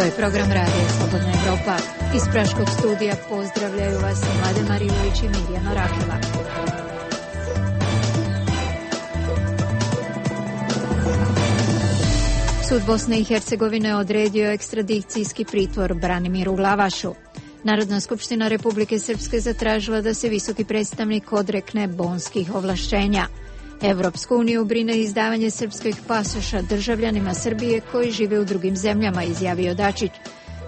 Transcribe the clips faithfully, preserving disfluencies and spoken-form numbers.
je program Radija Slobodna Evropa. Iz Praškog studija pozdravljaju vas Mladen Marilović i Mirjana Rakela. Sud Bosne i Hercegovine odredio ekstradicijski pritvor Branimiru Glavašu. Narodna skupština Republike Srpske zatražila da se visoki predstavnik odrekne bonskih ovlašćenja. Evropsku uniju brine izdavanje srpskih pasoša državljanima Srbije koji žive u drugim zemljama, izjavio Dačić.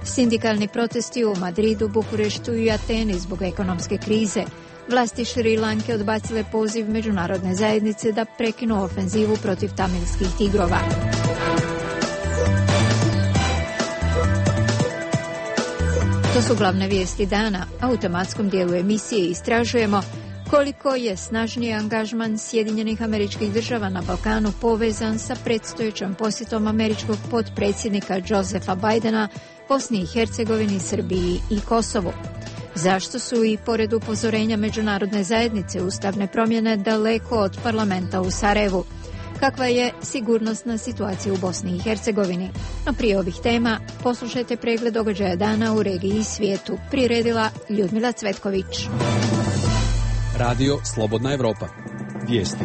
Sindikalni protesti u Madridu, Bukureštu i Ateni zbog ekonomske krize. Vlasti Šri Lanke odbacile poziv međunarodne zajednice da prekinu ofenzivu protiv tamilskih tigrova. To su glavne vijesti dana. U automatskom dijelu emisije istražujemo koliko je snažniji angažman Sjedinjenih Američkih Država na Balkanu povezan sa predstojećom posjetom američkog potpredsjednika Josefa Bidena Bosni i Hercegovini, Srbiji i Kosovu. Zašto su i pored upozorenja međunarodne zajednice ustavne promjene daleko od parlamenta u Sarajevu? Kakva je sigurnosna situacija u Bosni i Hercegovini? No prije ovih tema poslušajte pregled događaja dana u regiji i svijetu. Priredila Ljudmila Cvetković. Radio Slobodna Evropa. Vijesti.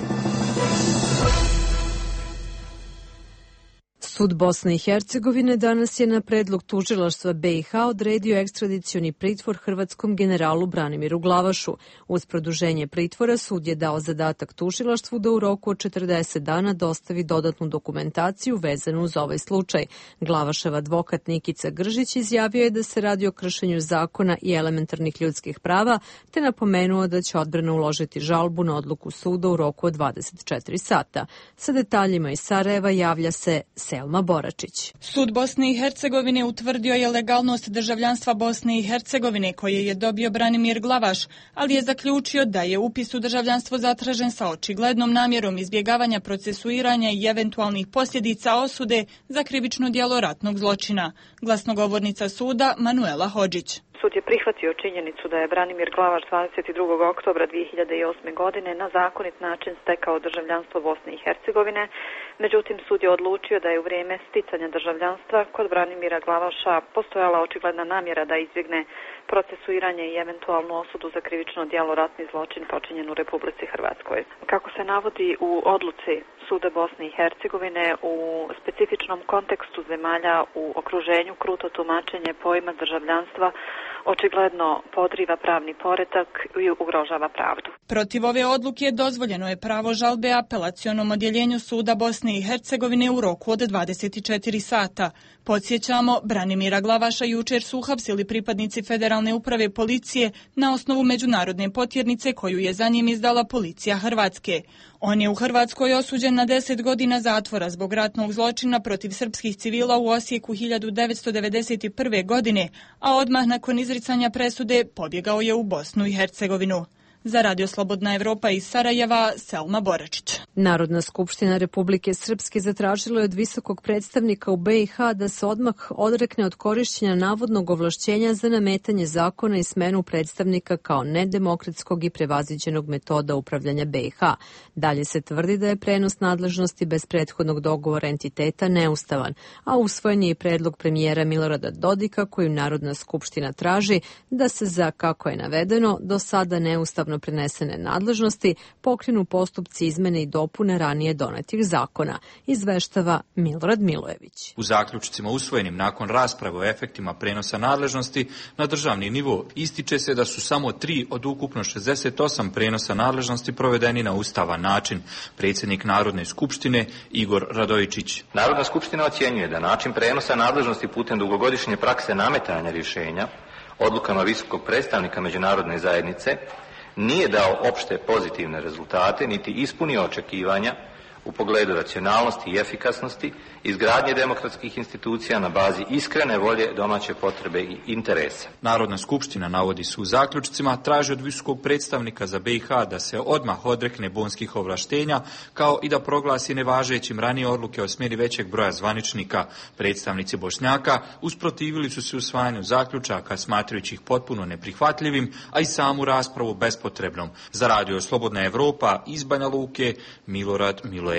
Sud Bosne i Hercegovine danas je na predlog tužilaštva B i H odredio ekstradicioni pritvor hrvatskom generalu Branimiru Glavašu. Uz produženje pritvora sud je dao zadatak tužilaštvu da u roku od četrdeset dana dostavi dodatnu dokumentaciju vezanu uz ovaj slučaj. Glavašev advokat Nikica Gržić izjavio je da se radi o kršenju zakona i elementarnih ljudskih prava, te napomenuo da će odbrana uložiti žalbu na odluku suda u roku od dvadeset četiri sata. Sa detaljima iz Sarajeva javlja se Selma Boračić. Sud Bosne i Hercegovine utvrdio je legalnost državljanstva Bosne i Hercegovine koje je dobio Branimir Glavaš, ali je zaključio da je upis u državljanstvo zatražen sa očiglednom namjerom izbjegavanja procesuiranja i eventualnih posljedica osude za krivično djelo ratnog zločina. Glasnogovornica suda Manuela Hodžić. Sud je prihvatio činjenicu da je Branimir Glavaš dvadeset drugog oktobra dvije hiljade osme. godine na zakonit način stekao državljanstvo Bosne i Hercegovine. Međutim, sud je odlučio da je u vrijeme sticanja državljanstva kod Branimira Glavaša postojala očigledna namjera da izbjegne procesuiranje i eventualnu osudu za krivično djelo ratni zločin počinjen u Republici Hrvatskoj. Kako se navodi u odluci Suda Bosne i Hercegovine, u specifičnom kontekstu zemalja u okruženju kruto tumačenje pojma državljanstva očigledno podriva pravni poredak i ugrožava pravdu. Protiv ove odluke dozvoljeno je pravo žalbe apelacionom odjeljenju Suda Bosne i Hercegovine u roku od dvadeset četiri sata. Podsjećamo, Branimira Glavaša jučer su uhapsili pripadnici Federalne uprave policije na osnovu međunarodne potjernice koju je za njim izdala policija Hrvatske. On je u Hrvatskoj osuđen na deset godina zatvora zbog ratnog zločina protiv srpskih civila u Osijeku hiljadu devetsto devedeset prve. godine, a odmah nakon izricanja presude pobjegao je u Bosnu i Hercegovinu. Za Radio Slobodna Evropa iz Sarajeva, Selma Boračić. Narodna skupština Republike Srpske zatražila je od visokog predstavnika u B i H da se odmah odrekne od korišćenja navodnog ovlašćenja za nametanje zakona i smenu predstavnika kao nedemokratskog i prevaziđenog metoda upravljanja B i H. Dalje se tvrdi da je prenos nadležnosti bez prethodnog dogovora entiteta neustavan, a usvojen je i predlog premijera Milorada Dodika kojim Narodna skupština traži da se za, kako je navedeno, do sada neustavno prenesene nadležnosti pokrenu postupci izmene i dopune ranije donetih zakona, izveštava Milorad Milojević. U zaključcima usvojenim nakon rasprave o efektima prenosa nadležnosti na državni nivo ističe se da su samo tri od ukupno šezdeset osam prenosa nadležnosti provedeni na ustavan način. Predsjednik Narodne skupštine Igor Radojičić. Narodna skupština ocjenjuje da način prenosa nadležnosti putem dugogodišnje prakse nametanja rješenja odlukama visokog predstavnika međunarodne zajednice nije dao opšte pozitivne rezultate, niti ispunio očekivanja u pogledu racionalnosti i efikasnosti, izgradnje demokratskih institucija na bazi iskrene volje, domaće potrebe i interesa. Narodna skupština, navodi se u zaključcima, traži od visokog predstavnika za B i H da se odmah odrekne bonskih ovlaštenja, kao i da proglasi nevažećim ranije odluke o smjeni većeg broja zvaničnika. Predstavnici Bošnjaka usprotivili su se usvajanju zaključaka, smatrajući ih potpuno neprihvatljivim, a i samu raspravu bespotrebnom. Za Radio Slobodna Evropa iz Banja Luke, Milorad Milojević.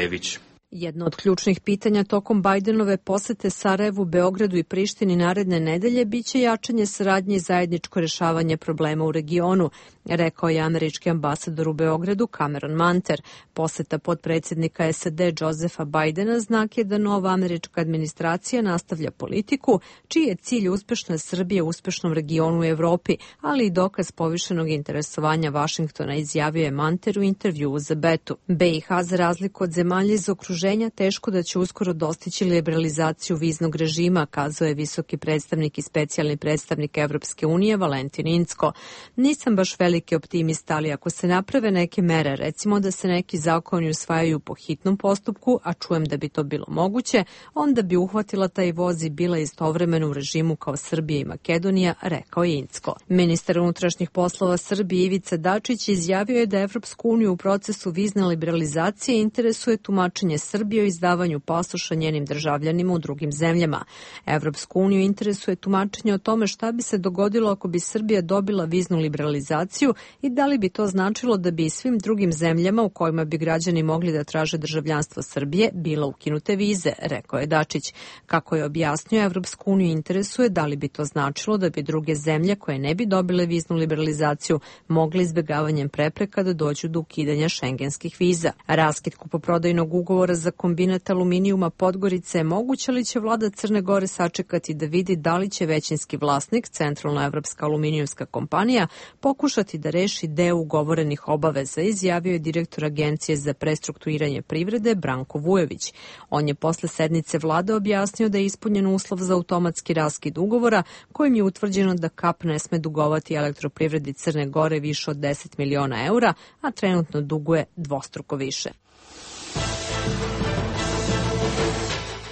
Jedno od ključnih pitanja tokom Bajdenove posete Sarajevu, Beogradu i Prištini naredne nedelje biće jačanje saradnje i zajedničko rješavanje problema u regionu, rekao je američki ambasador u Beogradu Cameron Manter. Poseta potpredsjednika S A D Josefa Bajdena znak je da nova američka administracija nastavlja politiku čiji je cilj uspešna Srbija u uspešnom regionu u Evropi, ali i dokaz povišenog interesovanja Vašingtona, izjavio je Manter u intervjuu za Betu. B i H, za razliku od zemalja iz okruženja, teško da će uskoro dostići liberalizaciju viznog režima, kazao je visoki predstavnik i specijalni predstavnik Evropske unije Valentin Incko. Nisam baš veliki optimista, ali ako se naprave neke mere, recimo da se neki zakoni usvajaju po hitnom postupku, a čujem da bi to bilo moguće, onda bi uhvatila taj voz i bila istovremeno u režimu kao Srbija i Makedonija, rekao je Incko. Ministar unutrašnjih poslova Srbije Ivica Dačić izjavio je da Evropsku uniju u procesu vizne liberalizacije interesuje tumačenje Srbije o izdavanju pasoša njenim državljanima u drugim zemljama. Evropsku uniju interesuje tumačenje o tome šta bi se dogodilo ako bi Srbija dobila viznu liberalizaciju i da li bi to značilo da bi i svim drugim zemljama u kojima bi građani mogli da traže državljanstvo Srbije bila ukinute vize, rekao je Dačić. Kako je objasnio, Evropsku uniju interesuje da li bi to značilo da bi druge zemlje koje ne bi dobile viznu liberalizaciju mogle izbjegavanjem prepreka da dođu do ukidanja šengenskih viza. Raskid kupoprodajnog ugovora za kombinat aluminijuma Podgorice je moguće, ali će vlada Crne Gore sačekati da vidi da li će većinski vlasnik, Centralna evropska aluminijumska kompanija, pokušati da reši deo ugovorenih obaveza, izjavio je direktor Agencije za prestrukturiranje privrede Branko Vujović. On je posle sednice vlade objasnio da je ispunjen uslov za automatski raskid ugovora, kojim je utvrđeno da K A P ne sme dugovati elektroprivredi Crne Gore više od deset miliona eura, a trenutno duguje dvostruko više.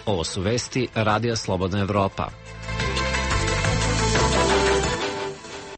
Ovo su vesti Radija Slobodna Evropa.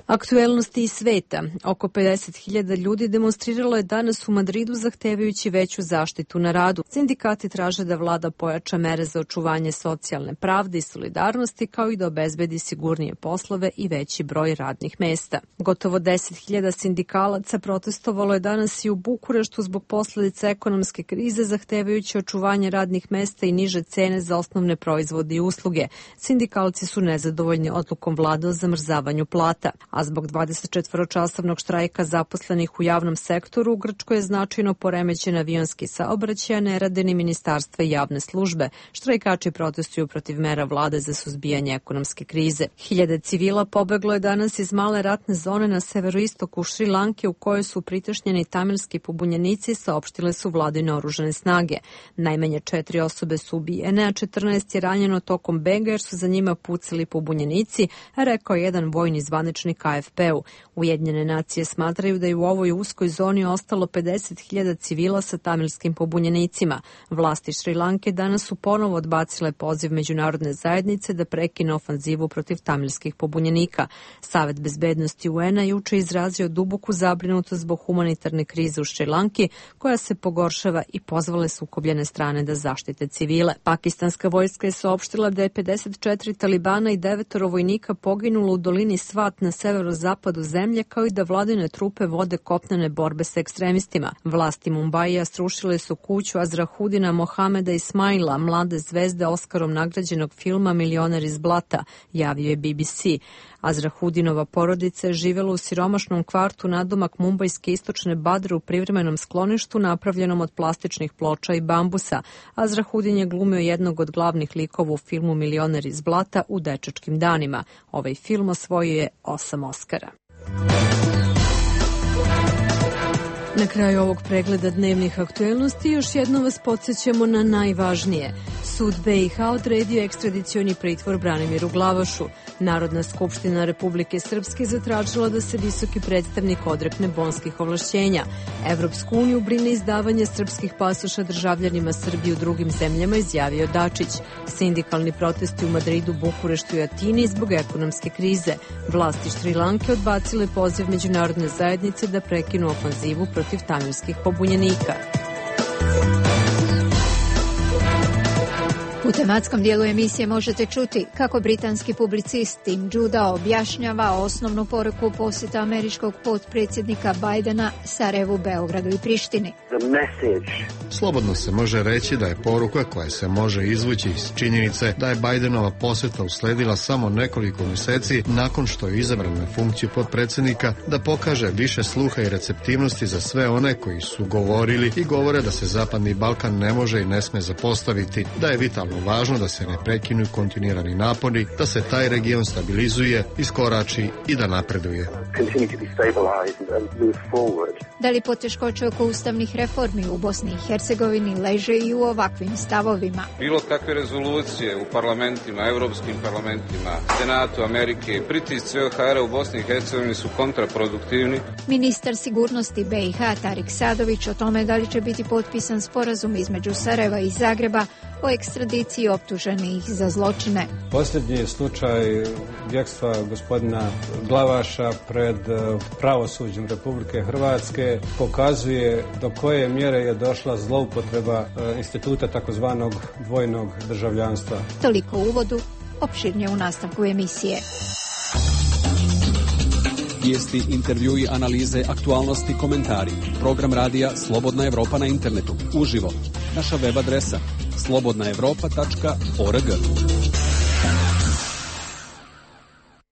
Aktuelnosti iz sveta. Oko pedeset hiljada ljudi demonstriralo je danas u Madridu zahtevajući veću zaštitu na radu. Sindikati traže da vlada pojača mere za očuvanje socijalne pravde i solidarnosti, kao i da obezbedi sigurnije poslove i veći broj radnih mesta. Gotovo deset hiljada sindikalaca protestovalo je danas i u Bukureštu zbog posljedica ekonomske krize, zahtevajući očuvanje radnih mesta i niže cene za osnovne proizvode i usluge. Sindikalci su nezadovoljni odlukom vlade o zamrzavanju plata. A zbog dvadesetčetvoročasovnog štrajka zaposlenih u javnom sektoru u Grčkoj je značajno poremećen avionski saobraćaj, a ne rade ni ministarstva i javne službe. Štrajkači protestuju protiv mera vlade za suzbijanje ekonomske krize. Hiljade civila pobeglo je danas iz male ratne zone na severoistoku Šri Lanke u kojoj su pritešnjeni tamilski pobunjenici, saopštile su vladine oružane snage. Najmanje četiri osobe su ubijene, a četrnaest je ranjeno tokom bega jer su za njima pucali pobunjenici, rekao je jedan vojni zvaničnik A F P-u. Ujedinjene nacije smatraju da je u ovoj uskoj zoni ostalo pedeset hiljada civila sa tamilskim pobunjenicima. Vlasti Šri Lanke danas su ponovo odbacile poziv međunarodne zajednice da prekine ofanzivu protiv tamilskih pobunjenika. Savet bezbednosti U N-a juče izrazio duboku zabrinutost zbog humanitarne krize u Šri Lanki, koja se pogoršava, i pozvale sukobljene strane da zaštite civile. Pakistanska vojska je saopštila da je pedeset četiri talibana i devetoro vojnika poginulo u dolini Svat na severozapadu zemlje, kao i da vladine trupe vode kopnene borbe sa ekstremistima. Vlasti Mumbaija srušile su kuću Azrahudina Mohameda Ismaila, mlade zvezde Oskarom nagrađenog filma Milioner iz blata, javio je B B C. Azrahudinova porodica je živjela u siromašnom kvartu nadomak mumbajske istočne Badre u privremenom skloništu napravljenom od plastičnih ploča i bambusa. Azrahudin je glumio jednog od glavnih likova u filmu Milioner iz blata u dečačkim danima. Ovaj film osvojio je osam Oskara. Na kraju ovog pregleda dnevnih aktuelnosti još jednom vas podsjećamo na najvažnije. Sud B i H odredio ekstradicioni pritvor Branimiru Glavašu. Narodna skupština Republike Srpske zatražila da se visoki predstavnik odrekne bonskih ovlašćenja. Evropsku uniju brine izdavanje srpskih pasoša državljanima Srbije u drugim zemljama, izjavio Dačić. Sindikalni protesti u Madridu, Bukureštu i Atini zbog ekonomske krize. Vlasti Šri Lanke odbacile poziv međunarodne zajednice da prekinu ofanzivu protiv tamilskih pobunjenika. U tematskom dijelu emisije možete čuti kako britanski publicist Tim Judah objašnjava osnovnu poruku posjeta američkog potpredsjednika Bidena Sarajevu, Beogradu i Prištini. Slobodno se može reći da je poruka koja se može izvući iz činjenice da je Bidenova posjeta usledila samo nekoliko mjeseci nakon što je izabran na funkciju potpredsjednika, da pokaže više sluha i receptivnosti za sve one koji su govorili i govore da se Zapadni Balkan ne može i ne sme zapostaviti, da je vitalno važno da se ne prekinu kontinuirani napori, da se taj region stabilizuje, iskorači i da napreduje. Da li poteškoće oko ustavnih reformi u Bosni i Hercegovini leže i u ovakvim stavovima? Bilo kakve rezolucije u parlamentima, evropskim parlamentima, Senatu Amerike, pritisci O H R-a u Bosni i Hercegovini su kontraproduktivni. Ministar sigurnosti B i H Tarik Sadović o tome da li će biti potpisan sporazum između Sarajeva i Zagreba o ekstradiciji optuženih za zločine. Posljednji slučaj bjegstva gospodina Glavaša pred pravosuđem Republike Hrvatske pokazuje do koje mjere je došla zloupotreba instituta takozvanog dvojnog državljanstva. Toliko u uvodu, opširnije u nastavku emisije. Vijesti, intervjui, analize, aktualnosti, komentari. Program radija Slobodna Evropa na internetu. Uživo. Naša web adresa slobodna evropa tačka org.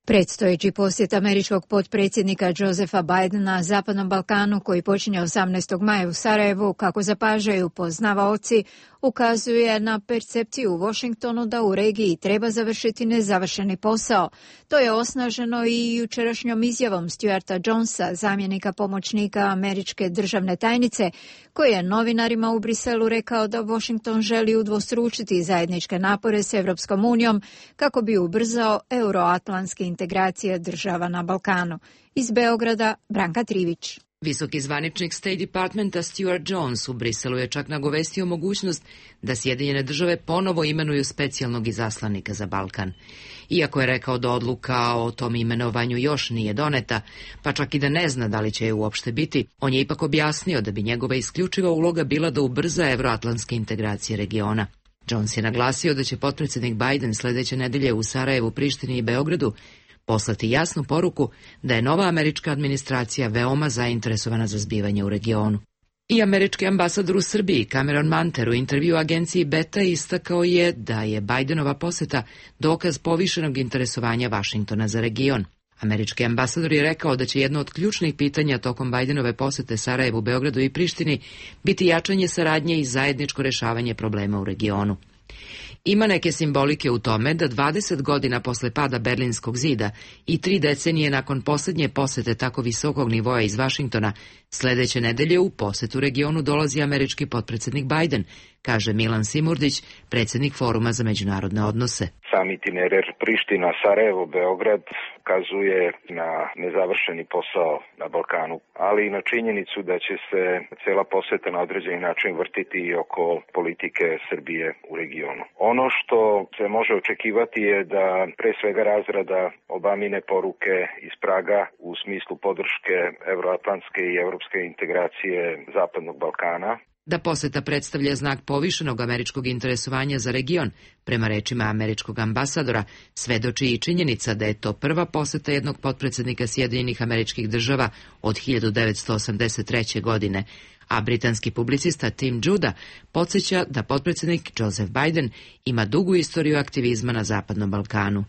Predstojeći posjet američkog potpredsjednika Josepha Bidena Zapadnom Balkanu, koji počinje osamnaestog maja u Sarajevu, kako zapažaju poznavaoci, ukazuje na percepciju u Washingtonu da u regiji treba završiti nezavršeni posao. To je osnaženo i jučerašnjom izjavom Stuarta Jonesa, zamjenika pomoćnika američke državne tajnice, koji je novinarima u Briselu rekao da Washington želi udvostručiti zajedničke napore s Evropskom unijom kako bi ubrzao euroatlantske integracije država na Balkanu. Iz Beograda, Branka Trivić. Visoki zvaničnik State Departmenta Stuart Jones u Briselu je čak nagovestio mogućnost da Sjedinjene države ponovo imenuju specijalnog izaslanika za Balkan. Iako je rekao da odluka o tom imenovanju još nije doneta, pa čak i da ne zna da li će je uopšte biti, on je ipak objasnio da bi njegova isključiva uloga bila da ubrza evroatlantske integracije regiona. Jones je naglasio da će potpredsjednik Biden sljedeće nedelje u Sarajevu, Prištini i Beogradu poslati jasnu poruku da je nova američka administracija veoma zainteresovana za zbivanje u regionu. I američki ambasador u Srbiji Cameron Manter u intervju agenciji Beta istakao je da je Bidenova posjeta dokaz povišenog interesovanja Vašingtona za region. Američki ambasador je rekao da će jedno od ključnih pitanja tokom Bidenove posjete Sarajevu, Beogradu i Prištini biti jačanje saradnje i zajedničko rješavanje problema u regionu. Ima neke simbolike u tome da dvadeset godina posle pada Berlinskog zida i tri decenije nakon posljednje posjete tako visokog nivoa iz Vašingtona, sljedeće nedelje u posjetu regionu dolazi američki potpredsjednik Biden, kaže Milan Simurdić, predsjednik Foruma za međunarodne odnose. Sam itinerar Priština, Sarajevo, Beograd kazuje na nezavršeni posao na Balkanu, ali i na činjenicu da će se cela posjeta na određeni način vrtiti i oko politike Srbije u regionu. Ono što se može očekivati je da pre svega razrada Obamine poruke iz Praga u smislu podrške evroatlantske i evropske integracije Zapadnog Balkana. Da posjeta predstavlja znak povišenog američkog interesovanja za region, prema rečima američkog ambasadora, svedoči i činjenica da je to prva posjeta jednog potpredsjednika Sjedinjenih Američkih Država od hiljadu devetsto osamdeset treće. godine, a britanski publicista Tim Judah podsjeća da potpredsjednik Joseph Biden ima dugu istoriju aktivizma na Zapadnom Balkanu.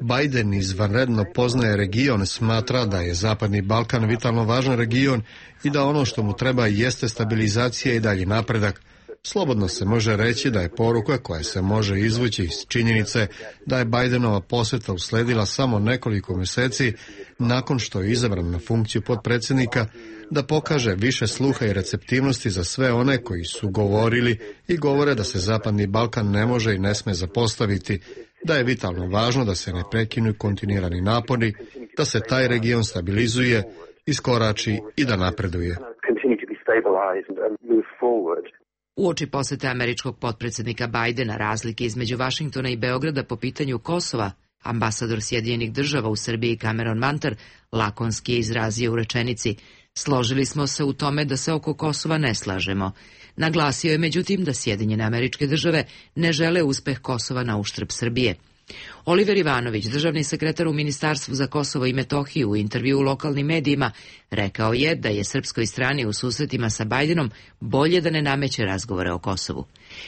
Biden izvanredno poznaje region, smatra da je Zapadni Balkan vitalno važan region i da ono što mu treba jeste stabilizacija i dalji napredak. Slobodno se može reći da je poruka koja se može izvući iz činjenice da je Bidenova posjeta usledila samo nekoliko mjeseci nakon što je izabran na funkciju potpredsjednika, da pokaže više sluha i receptivnosti za sve one koji su govorili i govore da se Zapadni Balkan ne može i ne sme zapostaviti, da je vitalno važno da se ne prekinu kontinuirani napori, da se taj region stabilizuje, iskorači i da napreduje. Uoči posjete američkog potpredsjednika Bidena razlike između Vašingtona i Beograda po pitanju Kosova, ambasador Sjedinjenih Država u Srbiji Cameron Manter lakonski je izrazio u rečenici: Složili smo se u tome da se oko Kosova ne slažemo. Naglasio je međutim da Sjedinjene Američke Države ne žele uspeh Kosova na uštrb Srbije. Oliver Ivanović, državni sekretar u Ministarstvu za Kosovo i Metohiju, u intervju u lokalnim medijima rekao je da je srpskoj strani u susretima sa Bajdenom bolje da ne nameće razgovore o Kosovu.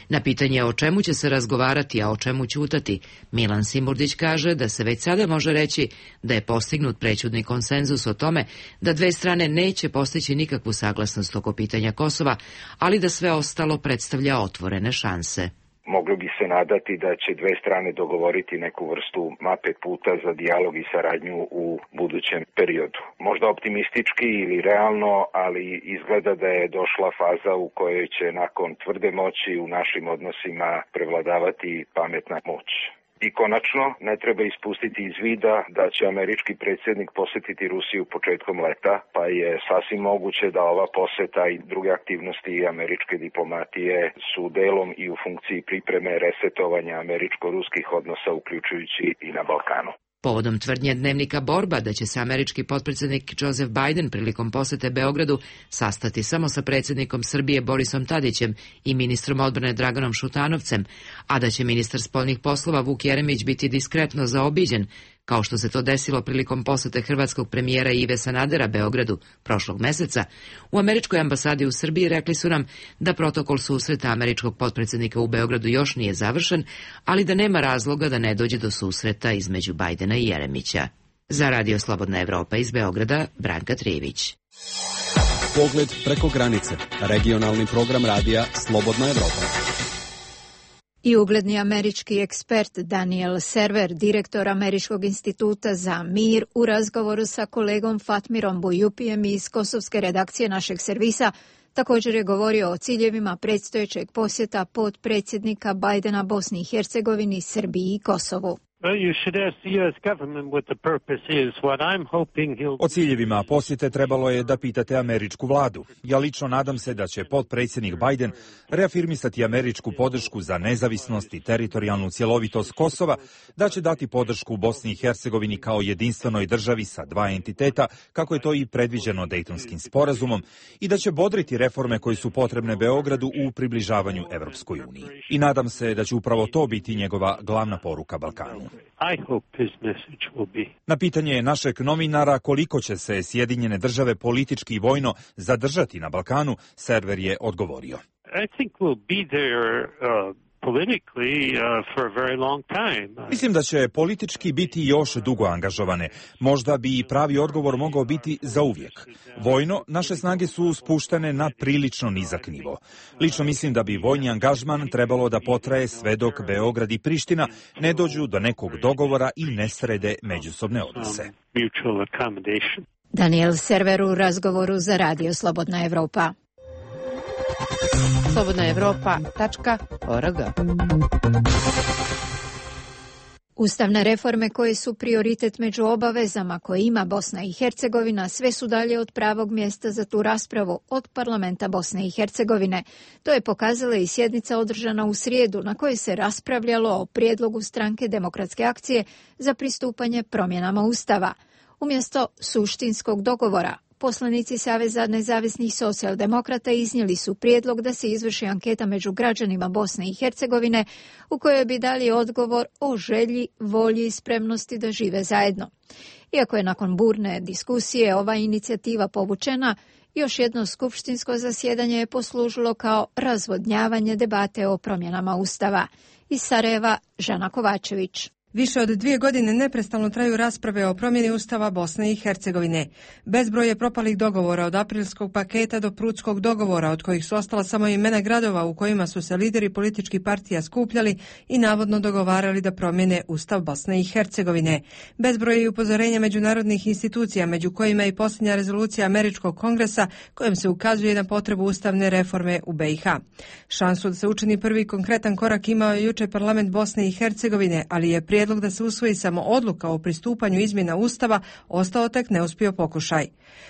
Na pitanje o čemu će se razgovarati, a o čemu ćutati, Milan Simurdić kaže da se već sada može reći da je postignut prećudni konsenzus o tome da dve strane neće postići nikakvu saglasnost oko pitanja Kosova, ali da sve ostalo predstavlja otvorene šanse. Moglo bi se nadati da će dve strane dogovoriti neku vrstu mape puta za dijalog i saradnju u budućem periodu. Možda optimistički ili realno, ali izgleda da je došla faza u kojoj će nakon tvrde moći u našim odnosima prevladavati pametna moć. I konačno, ne treba ispustiti iz vida da će američki predsjednik posjetiti Rusiju početkom leta, pa je sasvim moguće da ova poseta i druge aktivnosti američke diplomatije su delom i u funkciji pripreme resetovanja američko-ruskih odnosa, uključujući i na Balkanu. Povodom tvrdnje dnevnika Borba da će se američki potpredsjednik Joseph Biden prilikom posete Beogradu sastati samo sa predsjednikom Srbije Borisom Tadićem i ministrom odbrane Draganom Šutanovcem, a da će ministar spoljnih poslova Vuk Jeremić biti diskretno zaobiđen, kao što se to desilo prilikom posete hrvatskog premijera Ive Sanadera Beogradu prošlog meseca, u američkoj ambasadi u Srbiji rekli su nam da protokol susreta američkog potpredsjednika u Beogradu još nije završen, ali da nema razloga da ne dođe do susreta između Bajdena i Jeremića. Za Radio Slobodna Evropa iz Beograda, Branka Trijević. Pogled preko granice. Regionalni program radija Slobodna Evropa. I ugledni američki ekspert Daniel Server, direktor Američkog instituta za mir, u razgovoru sa kolegom Fatmirom Bujupijem iz kosovske redakcije našeg servisa, također je govorio o ciljevima predstojećeg posjeta potpredsjednika Bajdena Bosni i Hercegovini, Srbiji i Kosovu. O ciljevima posjete trebalo je da pitate američku vladu. Ja lično nadam se da će potpredsjednik Biden reafirmisati američku podršku za nezavisnost i teritorijalnu cjelovitost Kosova, da će dati podršku Bosni i Hercegovini kao jedinstvenoj državi sa dva entiteta, kako je to i predviđeno Dejtonskim sporazumom, i da će bodriti reforme koje su potrebne Beogradu u približavanju Evropskoj uniji. I nadam se da će upravo to biti njegova glavna poruka Balkanu. Na pitanje našeg novinara koliko će se Sjedinjene države politički i vojno zadržati na Balkanu, Server je odgovorio. Mislim da će politički biti još dugo angažovane. Možda bi pravi odgovor mogao biti za uvijek. Vojno, naše snage su spuštene na prilično nizak nivo. Lično mislim da bi vojni angažman trebalo da potraje sve dok Beograd i Priština ne dođu do nekog dogovora i ne srede međusobne odnose. Daniel Server u razgovoru za Radio Slobodna Evropa. slobodna evropa tačka org. Ustavne reforme koje su prioritet među obavezama koje ima Bosna i Hercegovina sve su dalje od pravog mjesta za tu raspravu od parlamenta Bosne i Hercegovine. To je pokazala i sjednica održana u srijedu na kojoj se raspravljalo o prijedlogu stranke Demokratske akcije za pristupanje promjenama Ustava. Umjesto suštinskog dogovora, poslanici Saveza nezavisnih socijaldemokrata iznijeli su prijedlog da se izvrši anketa među građanima Bosne i Hercegovine u kojoj bi dali odgovor o želji, volji i spremnosti da žive zajedno. Iako je nakon burne diskusije ova inicijativa povučena, još jedno skupštinsko zasjedanje je poslužilo kao razvodnjavanje debate o promjenama Ustava. Iz Sarajeva, Žana Kovačević. Više od dvije godine neprestano traju rasprave o promjeni Ustava Bosne i Hercegovine. Bezbroj je propalih dogovora od aprilskog paketa do prudskog dogovora, od kojih su ostala samo imena gradova u kojima su se lideri političkih partija skupljali i navodno dogovarali da promjene Ustav Bosne i Hercegovine. Bezbroj je i upozorenja međunarodnih institucija, među kojima i posljednja rezolucija Američkog kongresa kojom se ukazuje na potrebu ustavne reforme u B i H. Šansu da se učini prvi konkretan korak imao je jučer parlament Bosne i Hercegovine, ali je prijedlog prijedlog da se usvoji samo odluka o pristupanju izmjena Ustava ostao tek neuspio pokušaj.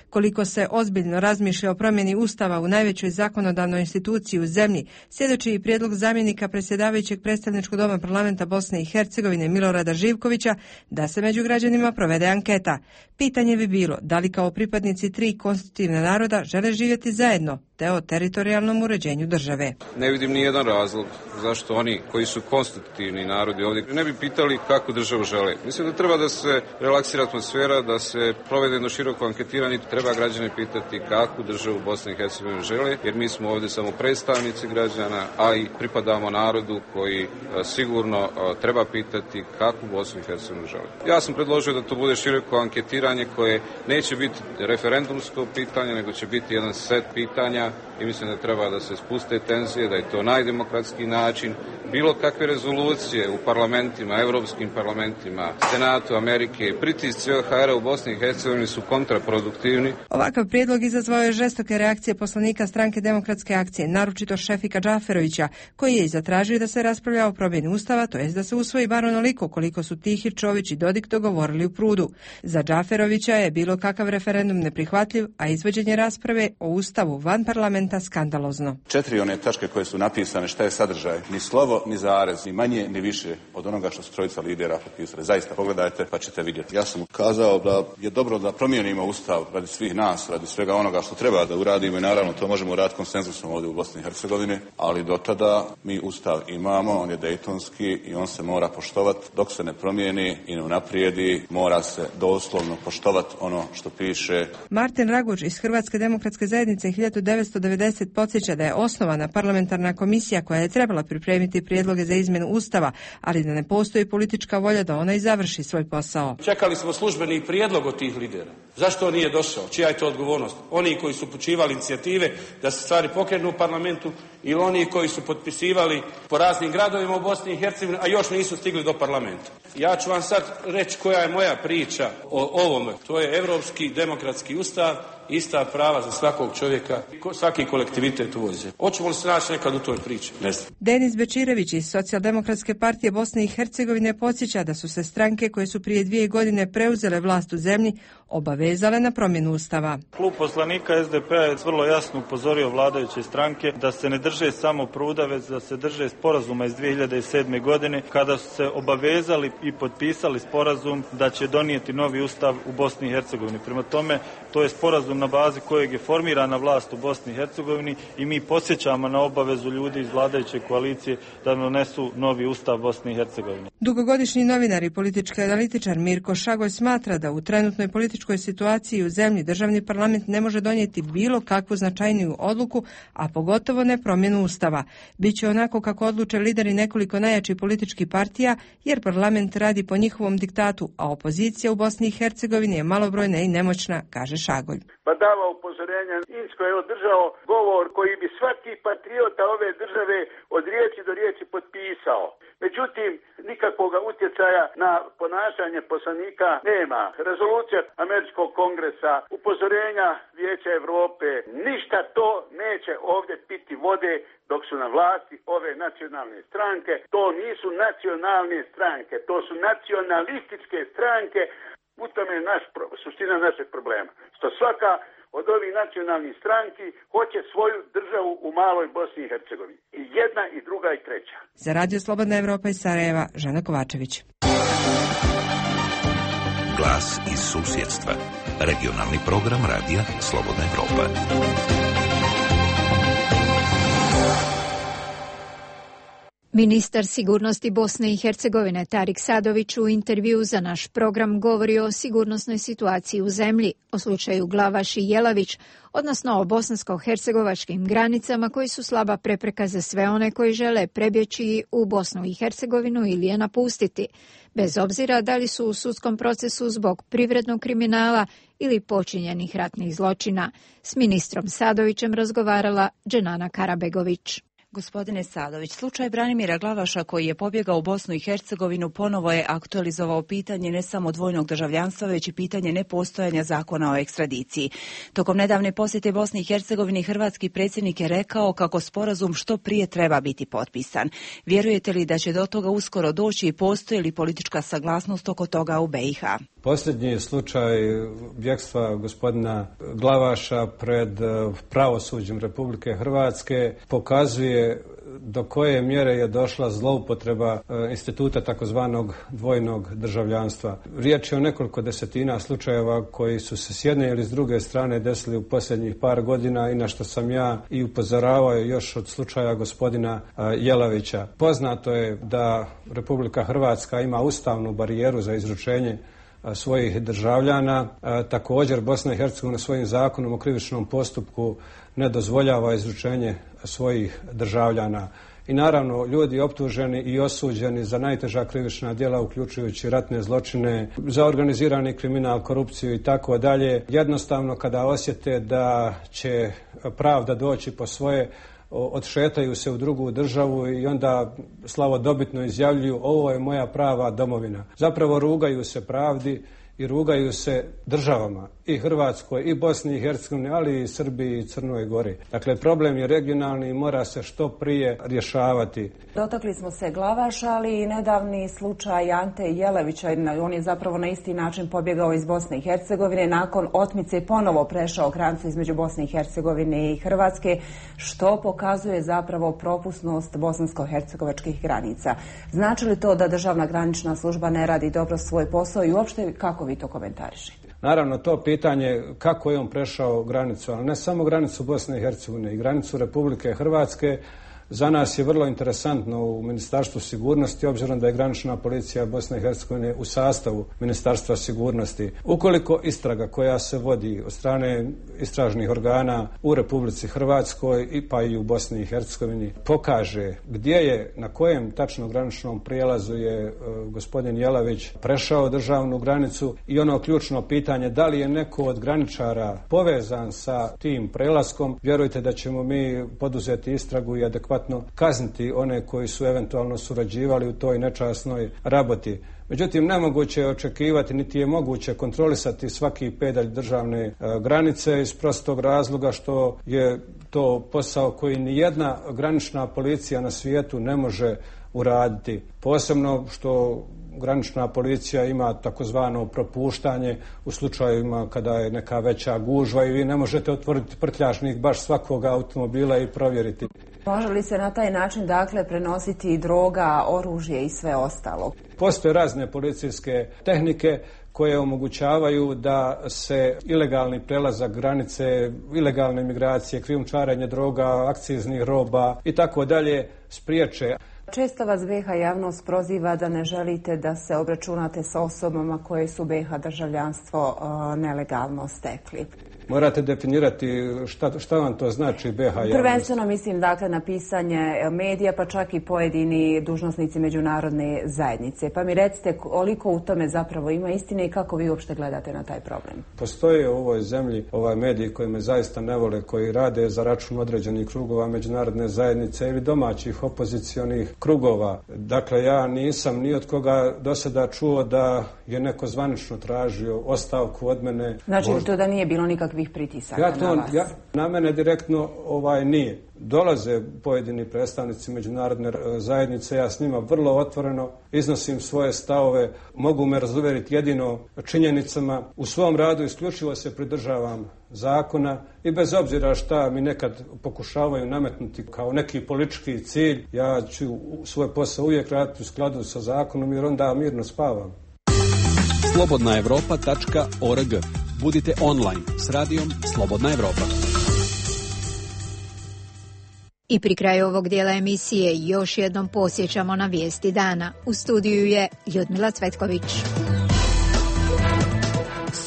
Koliko se ozbiljno razmišlja o promjeni Ustava u najvećoj zakonodavnoj instituciji u zemlji, svjedoči i prijedlog zamjenika predsjedavajućeg predstavničkog doma parlamenta Bosne i Hercegovine Milorada Živkovića da se među građanima provede anketa. Pitanje bi bilo da li kao pripadnici tri konstitutivna naroda žele živjeti zajedno, te o teritorijalnom uređenju države. Ne vidim ni jedan razlog zašto oni koji su konstitutivni narodi ovdje ne bi pitali kakvu državu žele. Mislim da treba da se relaksira atmosfera, da se provede jedno široko anketiranje, treba građane pitati kakvu državu Bosne i Hercegovine žele, jer mi smo ovdje samo predstavnici građana, a i pripadamo narodu koji a, sigurno a, treba pitati kakvu Bosnu i Hercegovinu žele. Ja sam predložio da to bude široko anketiranje koje neće biti referendumsko pitanje, nego će biti jedan set pitanja i mislim da treba da se spuste tenzije, da je to najdemokratski način. Bilo kakve rezolucije u parlamentima, evropskim parlamentima, Senatu Amerike, pritisci O H R-a u Bosni i Hercegovini su kontraproduktivni. Ovakav prijedlog izazvao je žestoke reakcije poslanika Stranke demokratske akcije, naročito Šefika Džaferovića, koji je i zatražio da se raspravlja o promjeni Ustava, to jest da se usvoji bar onoliko koliko su Tihi, Čović i Dodik dogovorili u Prudu. Za Džaferovića je bilo kakav referendum neprihvatljiv, a izvođenje rasprave o Ustavu van parlamenta skandalozno. Četiri one tačke koje su napisane, šta je sadržaj, ni slovo, ni zarez, ni manje, ni više od onoga što su trojica lidera potpisali. Zaista, pogledajte pa ćete vidjeti. Ja sam ukazao da je dobro da promijenimo Ustav radi svih nas, radi svega onoga što treba da uradimo i naravno to možemo uraditi konsenzusom ovdje u Bosni i Hercegovini, ali do tada mi Ustav imamo, on je dejtonski i on se mora poštovati. Dok se ne promijeni i ne unaprijedi, mora se doslovno poštovati ono što piše. Martin Raguž iz Hrvatske demokratske zajednice hiljadu devetsto devedeset podsjeća da je osnovana parlamentarna komisija koja je trebala pripremiti prijedloge za izmjenu Ustava, ali da ne postoji politička volja da ona i završi svoj posao. Čekali smo službeni prijedlog od tih lidera. Zašto on nije došao? Čija je to odgovornost? Oni koji su upućivali inicijative da se stvari pokrenu u parlamentu ili oni koji su potpisivali po raznim gradovima u Bosni i Hercegovini, a još nisu stigli do parlamenta. Ja ću vam sad reći koja je moja priča o ovome. To je Evropski demokratski ustav, ista prava za svakog čovjeka, svaki kolektivitet u ovoj zemlji. Hoćemo li se naći nekad u toj priči? Ne znam. Denis Bečirević iz Socijaldemokratske partije Bosne i Hercegovine podsjeća da su se stranke koje su prije dvije godine preuzele vlast u zemlji obavezale na promjenu Ustava. Klub poslanika S D P-a je vrlo jasno upozorio vladajuće stranke da se ne drže samo Pruda, već da se drže sporazuma iz dvije hiljade sedme. godine kada su se obavezali i potpisali sporazum da će donijeti novi Ustav u Bosni i Hercegovini. Prema tome, to je sporazum na bazi kojeg je formirana vlast u Bosni i Hercegovini i mi podsjećamo na obavezu ljudi iz vladajuće koalicije da donesu novi Ustav Bosne i Hercegovine. Dugogodišnji novinar i politički analitičar Mirko Šagoj smatra da u trenutnoj političkoj situaciji u zemlji državni parlament ne može donijeti bilo kakvu značajniju odluku, a pogotovo ne promjenu Ustava. Biće onako kako odluče lideri nekoliko najjačih političkih partija, jer parlament radi po njihovom diktatu, a opozicija u Bosni i Hercegovini je malobrojna i nemoćna, kaže Šagoj. Pa dava upozorenja. Insko je održao govor koji bi svaki patriota ove države od riječi do riječi potpisao. Međutim, nikakvog utjecaja na ponašanje poslanika nema. Rezolucija Američkog kongresa, upozorenja Vijeća Europe, ništa to neće ovdje piti vode dok su na vlasti ove nacionalne stranke. To nisu nacionalne stranke, to su nacionalističke stranke. U tome je naš, suština našeg problema. Što svaka od ovih nacionalnih stranki hoće svoju državu u maloj Bosni i Hercegovini. I jedna, i druga, i treća. Za Radio Slobodna Evropa iz Sarajeva, Žana Kovačević. Glas iz susjedstva. Regionalni program Radija Slobodna Evropa. Ministar sigurnosti Bosne i Hercegovine Tarik Sadović u intervju za naš program govori o sigurnosnoj situaciji u zemlji, o slučaju Glavaš i Jelavić, odnosno o bosansko-hercegovačkim granicama koji su slaba prepreka za sve one koji žele prebjeći u Bosnu i Hercegovinu ili je napustiti, bez obzira da li su u sudskom procesu zbog privrednog kriminala ili počinjenih ratnih zločina. S ministrom Sadovićem razgovarala Dženana Karabegović. Gospodine Sadović, slučaj Branimira Glavaša koji je pobjegao u Bosnu i Hercegovinu ponovo je aktualizovao pitanje ne samo dvojnog državljanstva, već i pitanje nepostojanja zakona o ekstradiciji. Tokom nedavne posjete Bosni i Hercegovini hrvatski predsjednik je rekao kako sporazum što prije treba biti potpisan. Vjerujete li da će do toga uskoro doći i postoji li politička saglasnost oko toga u B i H? Posljednji slučaj bjegstva gospodina Glavaša pred pravosuđem Republike Hrvatske pokazuje do koje mjere je došla zloupotreba instituta takozvanog dvojnog državljanstva. Riječ je o nekoliko desetina slučajeva koji su se s jedne ili s druge strane desili u posljednjih par godina i na što sam ja i upozoravao još od slučaja gospodina Jelavića. Poznato je da Republika Hrvatska ima ustavnu barijeru za izručenje svojih državljana. Također Bosna i Hercegovina svojim zakonom o krivičnom postupku ne dozvoljava izručenje svojih državljana. I naravno ljudi optuženi i osuđeni za najteža krivična djela uključujući ratne zločine, za organizirani kriminal, korupciju i tako dalje, jednostavno kada osjete da će pravda doći po svoje, odšetaju se u drugu državu i onda slavodobitno izjavljuju ovo je moja prava domovina. Zapravo rugaju se pravdi i rugaju se državama i Hrvatskoj i Bosni i Hercegovini, ali i Srbiji i Crnoj Gori. Dakle, problem je regionalni i mora se što prije rješavati. Dotakli smo se Glavaša, ali i nedavni slučaj Ante Jelavića. On je zapravo na isti način pobjegao iz Bosne i Hercegovine. Nakon otmice ponovo prešao granicu između Bosne i Hercegovine i Hrvatske, što pokazuje zapravo propusnost bosansko-hercegovačkih granica. Znači li to da državna granična služba ne radi dobro svoj posao i uopšte kako vi to komentarišete? Naravno, to pitanje kako je on prešao granicu, ali ne samo granicu Bosne i Hercegovine i granicu Republike Hrvatske, za nas je vrlo interesantno u Ministarstvu sigurnosti, obzirom da je granična policija Bosne i Hercegovine u sastavu Ministarstva sigurnosti. Ukoliko istraga koja se vodi od strane istražnih organa u Republici Hrvatskoj i pa i u Bosni i Hercegovini pokaže gdje je, na kojem tačno graničnom prijelazu je e, gospodin Jelavić prešao državnu granicu i ono ključno pitanje da li je neko od graničara povezan sa tim prelaskom, vjerujte da ćemo mi poduzeti istragu i adekvatno kazniti one koji su eventualno surađivali u toj nečasnoj raboti. Međutim, nemoguće je očekivati, niti je moguće kontrolisati svaki pedalj državne e, granice iz prostog razloga što je to posao koji nijedna granična policija na svijetu ne može uraditi. Posebno što granična policija ima takozvano propuštanje u slučajevima kada je neka veća gužva i vi ne možete otvoriti prtljažnik baš svakog automobila i provjeriti. Može li se na taj način dakle prenositi droga, oružje i sve ostalo? Postoje razne policijske tehnike koje omogućavaju da se ilegalni prelazak granice, ilegalne migracije, krijumčarenje droga, akciznih roba i tako dalje spriječe. Često vas B i H javnost proziva da ne želite da se obračunate sa osobama koje su B i H državljanstvo uh, nelegalno stekli. Morate definirati šta, šta vam to znači B i H javnost. Prvenstveno mislim dakle na pisanje medija, pa čak i pojedini dužnosnici međunarodne zajednice. Pa mi recite koliko u tome zapravo ima istine i kako vi uopšte gledate na taj problem. Postoje u ovoj zemlji ovaj mediji koji me zaista ne vole, koji rade za račun određenih krugova međunarodne zajednice ili domaćih opozicionih krugova. Dakle, ja nisam ni od koga do sada čuo da je neko zvanično tražio ostavku od mene. Znači Možda... to da nije bilo nikakvih pritisaka ja to, na vas? Ja, na mene direktno ovaj nije. Dolaze pojedini predstavnici međunarodne zajednice, ja s njima vrlo otvoreno iznosim svoje stavove, mogu me razuvjeriti jedino činjenicama. U svom radu isključivo se pridržavam zakona i bez obzira šta mi nekad pokušavaju nametnuti kao neki politički cilj, ja ću svoj posao uvijek raditi u skladu sa zakonom jer onda mirno spavam. slobodna evropa tačka org. Budite online s radijom Slobodna Evropa. I pri kraju ovog dijela emisije još jednom posjećamo na vijesti dana. U studiju je Ljudmila Cvetković.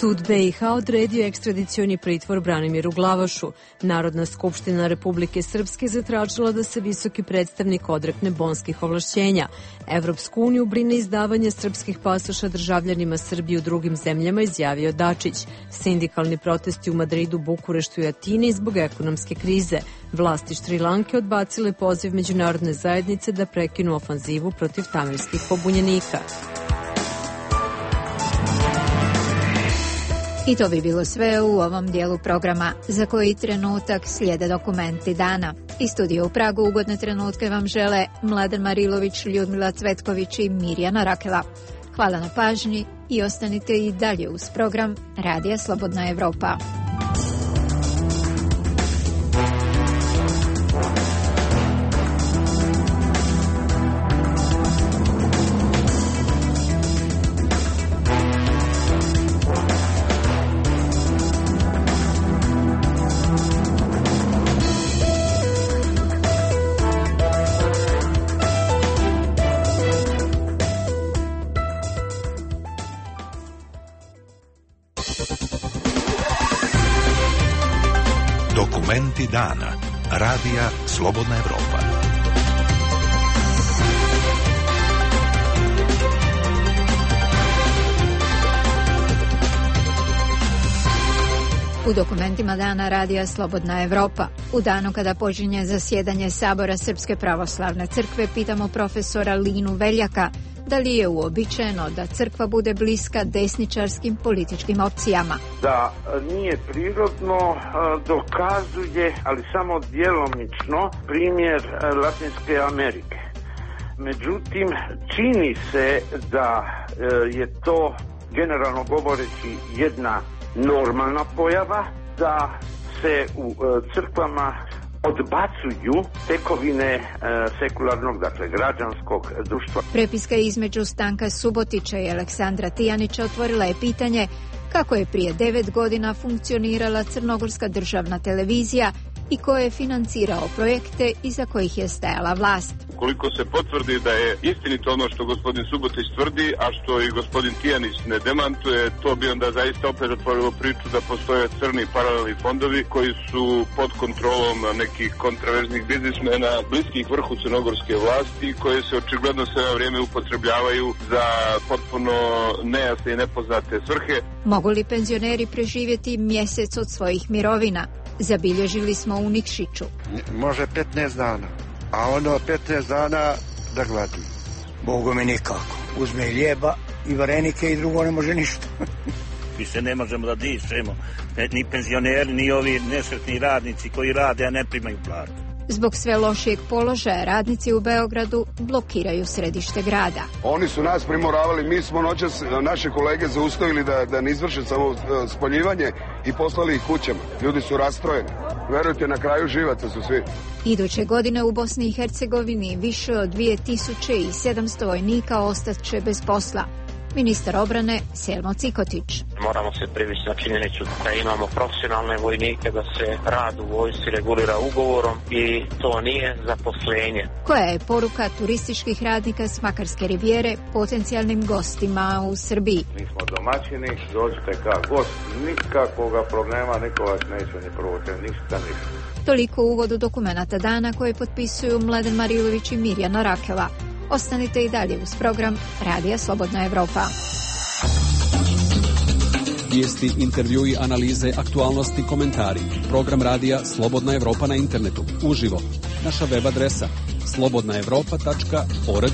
Sud B i H odredio ekstradicioni pritvor Branimiru Glavašu. Narodna skupština Republike Srpske zatražila da se visoki predstavnik odrekne bonskih ovlašćenja. Evropsku uniju brine izdavanje srpskih pasoša državljanima Srbije u drugim zemljama, izjavio Dačić. Sindikalni protesti u Madridu, Bukureštu i Atini zbog ekonomske krize. Vlasti Šrilanke odbacile poziv međunarodne zajednice da prekinu ofanzivu protiv tamilskih pobunjenika. I to bi bilo sve u ovom dijelu programa. Za koji trenutak slijede dokumenti dana. Iz studija u Pragu ugodne trenutke vam žele Mladen Marilović, Ljudmila Cvetković i Mirjana Rakela. Hvala na pažnji i ostanite i dalje uz program Radija Slobodna Evropa. Dokumenti dana. Radija Slobodna Evropa. U dokumentima dana Radija Slobodna Evropa. U danu kada počinje zasjedanje Sabora Srpske pravoslavne crkve pitamo profesora Linu Veljaka da li je uobičajeno da crkva bude bliska desničarskim političkim opcijama. Da nije prirodno dokazuje, ali samo djelomično, primjer Latinske Amerike. Međutim, čini se da je to, generalno govoreći, jedna normalna pojava, da se u crkvama odbacuju tekovine e, sekularnog, dakle građanskog društva. Prepiska između Stanka Subotića i Aleksandra Tijanića otvorila je pitanje kako je prije devet godina funkcionirala Crnogorska državna televizija i ko je financirao projekte iza kojih je stajala vlast. Ukoliko se potvrdi da je istinito ono što gospodin Subotić tvrdi, a što i gospodin Tijanić ne demantuje, to bi onda zaista opet otvorilo priču da postoje crni paralelni fondovi koji su pod kontrolom nekih kontraverznih biznismena, bliskih vrhu crnogorske vlasti, koje se očigledno sve na vrijeme upotrebljavaju za potpuno nejasne i nepoznate svrhe. Mogu li penzioneri preživjeti mjesec od svojih mirovina? Zabilježili smo u Nikšiću. Može petnaest dana, a ono petnaest dana da gladi. Bogu mi nikako. Uzme i lijeba i varenike i drugo ne može ništa. Mi se ne možemo da dišemo. Ni penzioneri, ni ovi nesretni radnici koji rade, a ne primaju platu. Zbog sve lošijeg položaja radnici u Beogradu blokiraju središte grada. Oni su nas primoravali, mi smo noćas naše kolege zaustavili da, da ne izvrše samo spoljivanje i poslali ih kućama. Ljudi su rastrojeni. Verujte, na kraju živaca su svi. Iduće godine u Bosni i Hercegovini više od dvije tisuće sedamsto vojnika ostaće bez posla. Ministar obrane Selmo Cikotić. Moramo se privesti na činjenicu da imamo profesionalne vojnike, da se rad u vojsci regulira ugovorom i to nije zaposlenje. Koja je poruka turističkih radnika s Makarske rivijere potencijalnim gostima u Srbiji? Mi smo domaćini, dođite kao gost, nikakvoga problema, niko vas neće ni provuče, ništa, ništa. Toliko u uvodu dokumenata dana koje potpisuju Mladen Marilović i Mirjana Rakela. Ostanite i dalje uz program Radija Slobodna Evropa. Vijesti, intervjui, analize, aktualnosti, komentari. Program Radija Slobodna Evropa na internetu. Uživo. Naša web adresa slobodna evropa tačka org.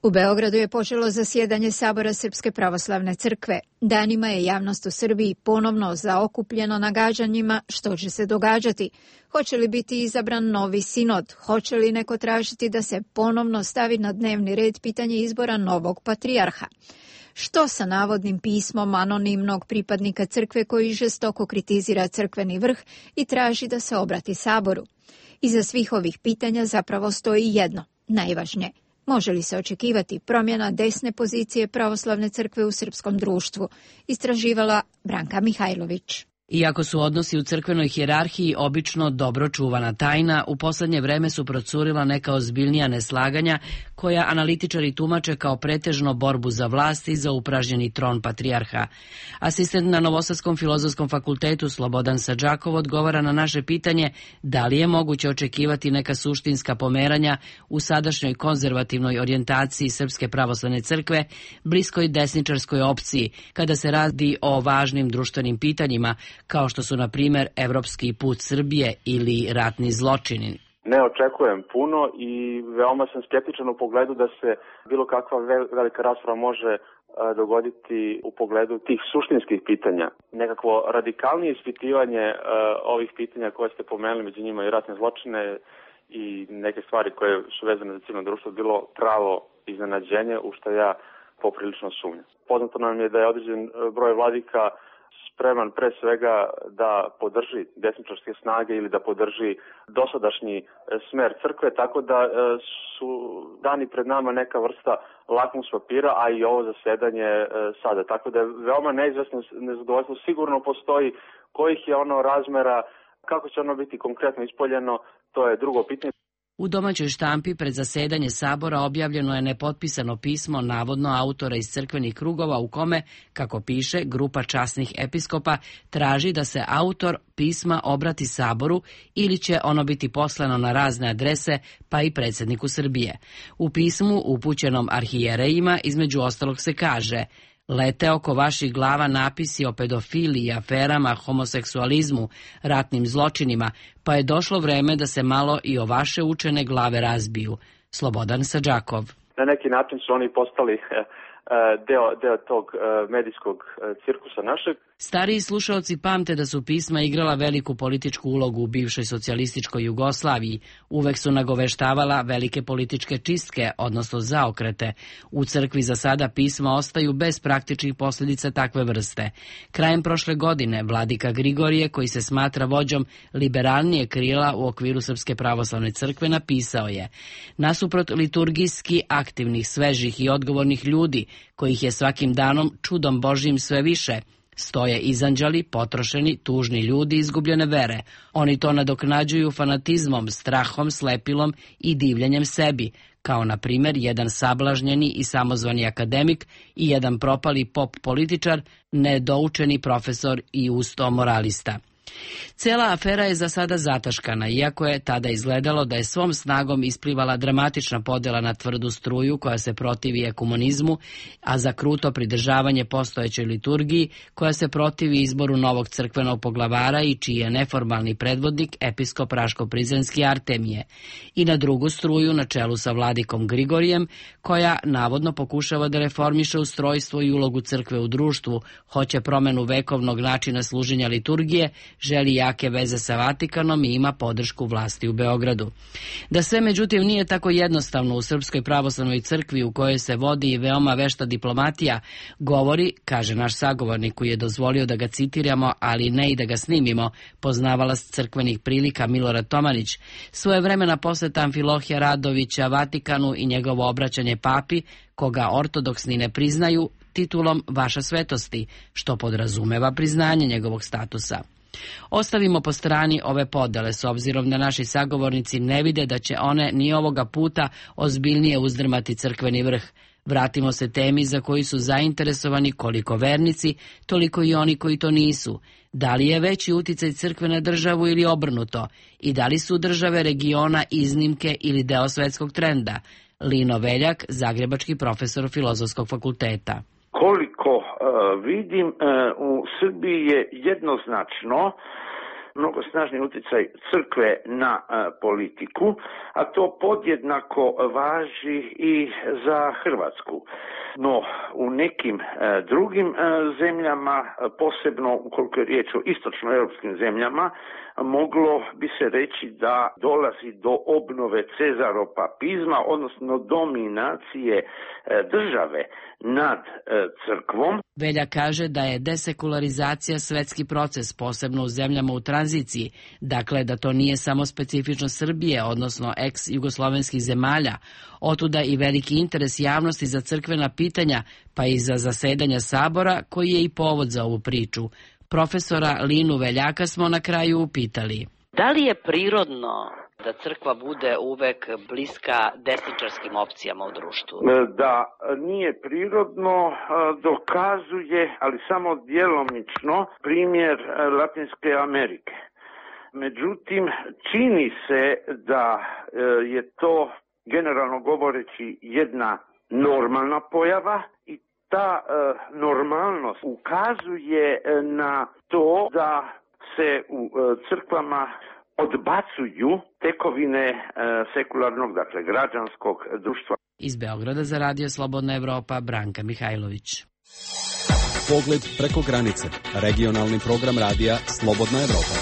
U Beogradu je počelo zasjedanje Sabora Srpske pravoslavne crkve. Danima je javnost u Srbiji ponovno zaokupljeno nagađanjima što će se događati. Hoće li biti izabran novi sinod? Hoće li neko tražiti da se ponovno stavi na dnevni red pitanje izbora novog patrijarha? Što sa navodnim pismom anonimnog pripadnika crkve koji žestoko kritizira crkveni vrh i traži da se obrati Saboru? Iza svih ovih pitanja zapravo stoji jedno, najvažnije. Može li se očekivati promjena desne pozicije pravoslavne crkve u srpskom društvu? Istraživala Branka Mihajlović. Iako su odnosi u crkvenoj hijerarhiji obično dobro čuvana tajna, u poslednje vreme su procurila neka ozbiljnija neslaganja koja analitičari tumače kao pretežno borbu za vlast i za upražnjeni tron patrijarha. Asistent na Novosadskom filozofskom fakultetu Slobodan Sadžakov odgovara na naše pitanje da li je moguće očekivati neka suštinska pomeranja u sadašnjoj konzervativnoj orijentaciji Srpske pravoslavne crkve, bliskoj desničarskoj opciji, kada se radi o važnim društvenim pitanjima, kao što su, na primjer, evropski put Srbije ili ratni zločini. Ne očekujem puno i veoma sam skeptičan u pogledu da se bilo kakva velika rasprava može dogoditi u pogledu tih suštinskih pitanja. Nekakvo radikalnije ispitivanje ovih pitanja koje ste pomenuli, među njima i ratne zločine i neke stvari koje su vezane za civilno društvo, bilo pravo iznenađenje, u što ja poprilično sumnjam. Poznato nam je da je određen broj vladika spreman pre svega da podrži desničarske snage ili da podrži dosadašnji smer crkve, tako da su dani pred nama neka vrsta lakmus papira, a i ovo zasedanje sada. Tako da je veoma neizvesno nezadovoljstvo. Sigurno postoji kojih je ono razmera, kako će ono biti konkretno ispoljeno, to je drugo pitanje. U domaćoj štampi pred zasedanje Sabora objavljeno je nepotpisano pismo navodno autora iz crkvenih krugova u kome, kako piše, grupa časnih episkopa traži da se autor pisma obrati Saboru ili će ono biti poslano na razne adrese, pa i predsjedniku Srbije. U pismu upućenom arhijerejima između ostalog se kaže: lete oko vaših glava napisi o pedofiliji, aferama, homoseksualizmu, ratnim zločinima, pa je došlo vreme da se malo i o vaše učene glave razbiju. Slobodan Sadžakov. Na neki način su oni postali deo, deo tog medijskog cirkusa našeg. Stariji slušaoci pamte da su pisma igrala veliku političku ulogu u bivšoj socijalističkoj Jugoslaviji. Uvek su nagoveštavala velike političke čistke, odnosno zaokrete. U crkvi za sada pisma ostaju bez praktičnih posljedica takve vrste. Krajem prošle godine vladika Grigorije, koji se smatra vođom liberalnije krila u okviru Srpske pravoslavne crkve, napisao je: nasuprot liturgijski aktivnih, svežih i odgovornih ljudi, kojih je svakim danom čudom Božjim sve više, stoje izanđali, potrošeni, tužni ljudi izgubljene vere. Oni to nadoknađuju fanatizmom, strahom, slepilom i divljenjem sebi, kao na primjer jedan sablažnjeni i samozvani akademik i jedan propali pop političar, nedoučeni profesor i usto moralista. Cela afera je za sada zataškana, iako je tada izgledalo da je svom snagom isplivala dramatična podjela na tvrdu struju koja se protivi ekumenizmu, a za kruto pridržavanje postojećoj liturgiji koja se protivi izboru novog crkvenog poglavara i čiji je neformalni predvodnik episkop Raško-Prizrenski Artemije, i na drugu struju na čelu sa vladikom Grigorijem, koja navodno pokušava da reformiše ustrojstvo i ulogu crkve u društvu, hoće promenu vekovnog načina služenja liturgije, želi jake veze sa Vatikanom i ima podršku vlasti u Beogradu. Da sve međutim nije tako jednostavno u Srpskoj pravoslavnoj crkvi, u kojoj se vodi i veoma vešta diplomatija, govori, kaže naš sagovornik koji je dozvolio da ga citiramo, ali ne i da ga snimimo, poznavalac crkvenih prilika Milorad Tomanić, svojevremena poseta Amfilohija Radovića Vatikanu i njegovo obraćanje papi, koga ortodoksni ne priznaju, titulom Vaša svetosti, što podrazumeva priznanje njegovog statusa. Ostavimo po strani ove podele, s obzirom da naši sagovornici ne vide da će one ni ovoga puta ozbiljnije uzdrmati crkveni vrh. Vratimo se temi za koju su zainteresovani koliko vernici, toliko i oni koji to nisu. Da li je veći uticaj crkve na državu ili obrnuto? I da li su države regiona iznimke ili deo svetskog trenda? Lino Veljak, zagrebački profesor Filozofskog fakulteta. Koliko uh, vidim, uh, u Srbiji je jednoznačno mnogo snažni utjecaj crkve na uh, politiku, a to podjednako važi i za Hrvatsku. No, u nekim uh, drugim uh, zemljama, posebno ukoliko je riječ o istočnoeuropskim zemljama, moglo bi se reći da dolazi do obnove cezaropapizma, odnosno dominacije uh, države nad uh, crkvom. Velja kaže da je desekularizacija svetski proces, posebno u zemljama u tranziciji, dakle da to nije samo specifično Srbije, odnosno ex-jugoslovenskih zemalja, otuda i veliki interes javnosti za crkvena pitanja, pa i za zasedanja Sabora, koji je i povod za ovu priču. Profesora Linu Veljaka smo na kraju upitali. Da li je prirodno da crkva bude uvek bliska desničarskim opcijama u društvu? Da nije prirodno dokazuje, ali samo djelomično, primjer Latinske Amerike. Međutim, čini se da je to, generalno govoreći, jedna normalna pojava i ta normalnost ukazuje na to da se u crkvama odbacuju tekovine sekularnog, dakle građanskog društva. Iz Beograda za Radio Slobodna Evropa, Branka Mihajlović. Pogled preko granice. Regionalni program radija Slobodna Evropa.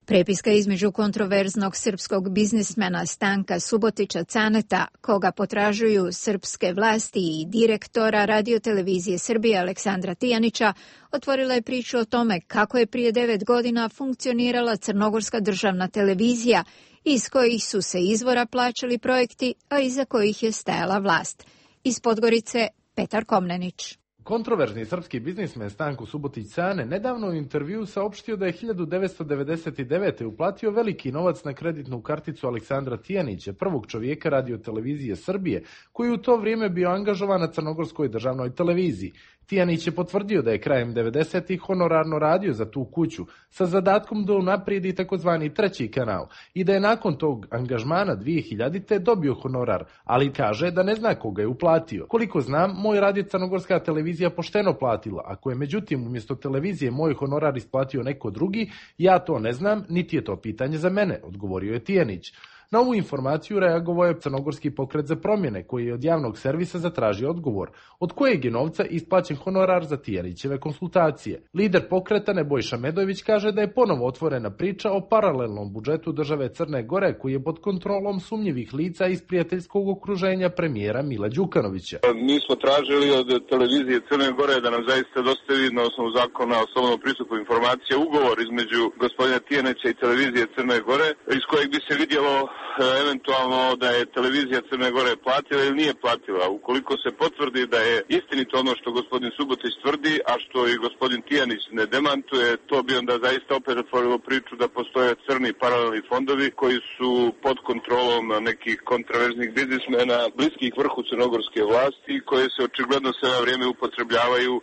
Prepiska između kontroverznog srpskog biznismena Stanka Subotića Caneta, koga potražuju srpske vlasti, i direktora radiotelevizije Srbije Aleksandra Tijanića, otvorila je priču o tome kako je prije devet godina funkcionirala crnogorska državna televizija, iz kojih su se izvora plaćali projekti, a iza kojih je stajala vlast. Iz Podgorice, Petar Komnenić. Kontroverzni srpski biznismen Stanko Subotić Cane nedavno u intervju saopštio da je hiljadu devetsto devedeset devete. uplatio veliki novac na kreditnu karticu Aleksandra Tijanića, prvog čovjeka radiotelevizije Srbije, koji u to vrijeme bio angažovan na crnogorskoj državnoj televiziji. Tijanić je potvrdio da je krajem devedesetih honorarno radio za tu kuću, sa zadatkom da unaprijedi takozvani treći kanal i da je nakon tog angažmana dvije hiljadite. dobio honorar, ali kaže da ne zna koga je uplatio. Koliko znam, moj radio crnogorska televizija pošteno platila, ako je međutim umjesto televizije moj honorar isplatio neko drugi, ja to ne znam, niti je to pitanje za mene, odgovorio je Tijanić. Na ovu informaciju reagovao je Crnogorski pokret za promjene, koji je od javnog servisa zatražio odgovor, od kojeg je novca isplaćen honorar za Tijanićeve konsultacije. Lider pokreta Nebojša Medojević kaže da je ponovo otvorena priča o paralelnom budžetu države Crne Gore, koji je pod kontrolom sumnjivih lica iz prijateljskog okruženja premijera Mila Đukanovića. Mi smo tražili od televizije Crne Gore da nam zaista dostavi na osnovu zakona o slobodnom pristupu informacija ugovor između gospodina Tijanića i televizije Crne Gore, iz kojeg bi se vidjelo eventualno da je televizija Crne Gore platila ili nije platila. Ukoliko se potvrdi da je istinito ono što gospodin Subotić tvrdi, a što i gospodin Tijanić ne demantuje, to bi onda zaista opet otvorilo priču da postoje crni paralelni fondovi koji su pod kontrolom nekih kontraverznih biznismena, bliskih vrhu crnogorske vlasti, koje se očigledno sve na vrijeme upotrebljavaju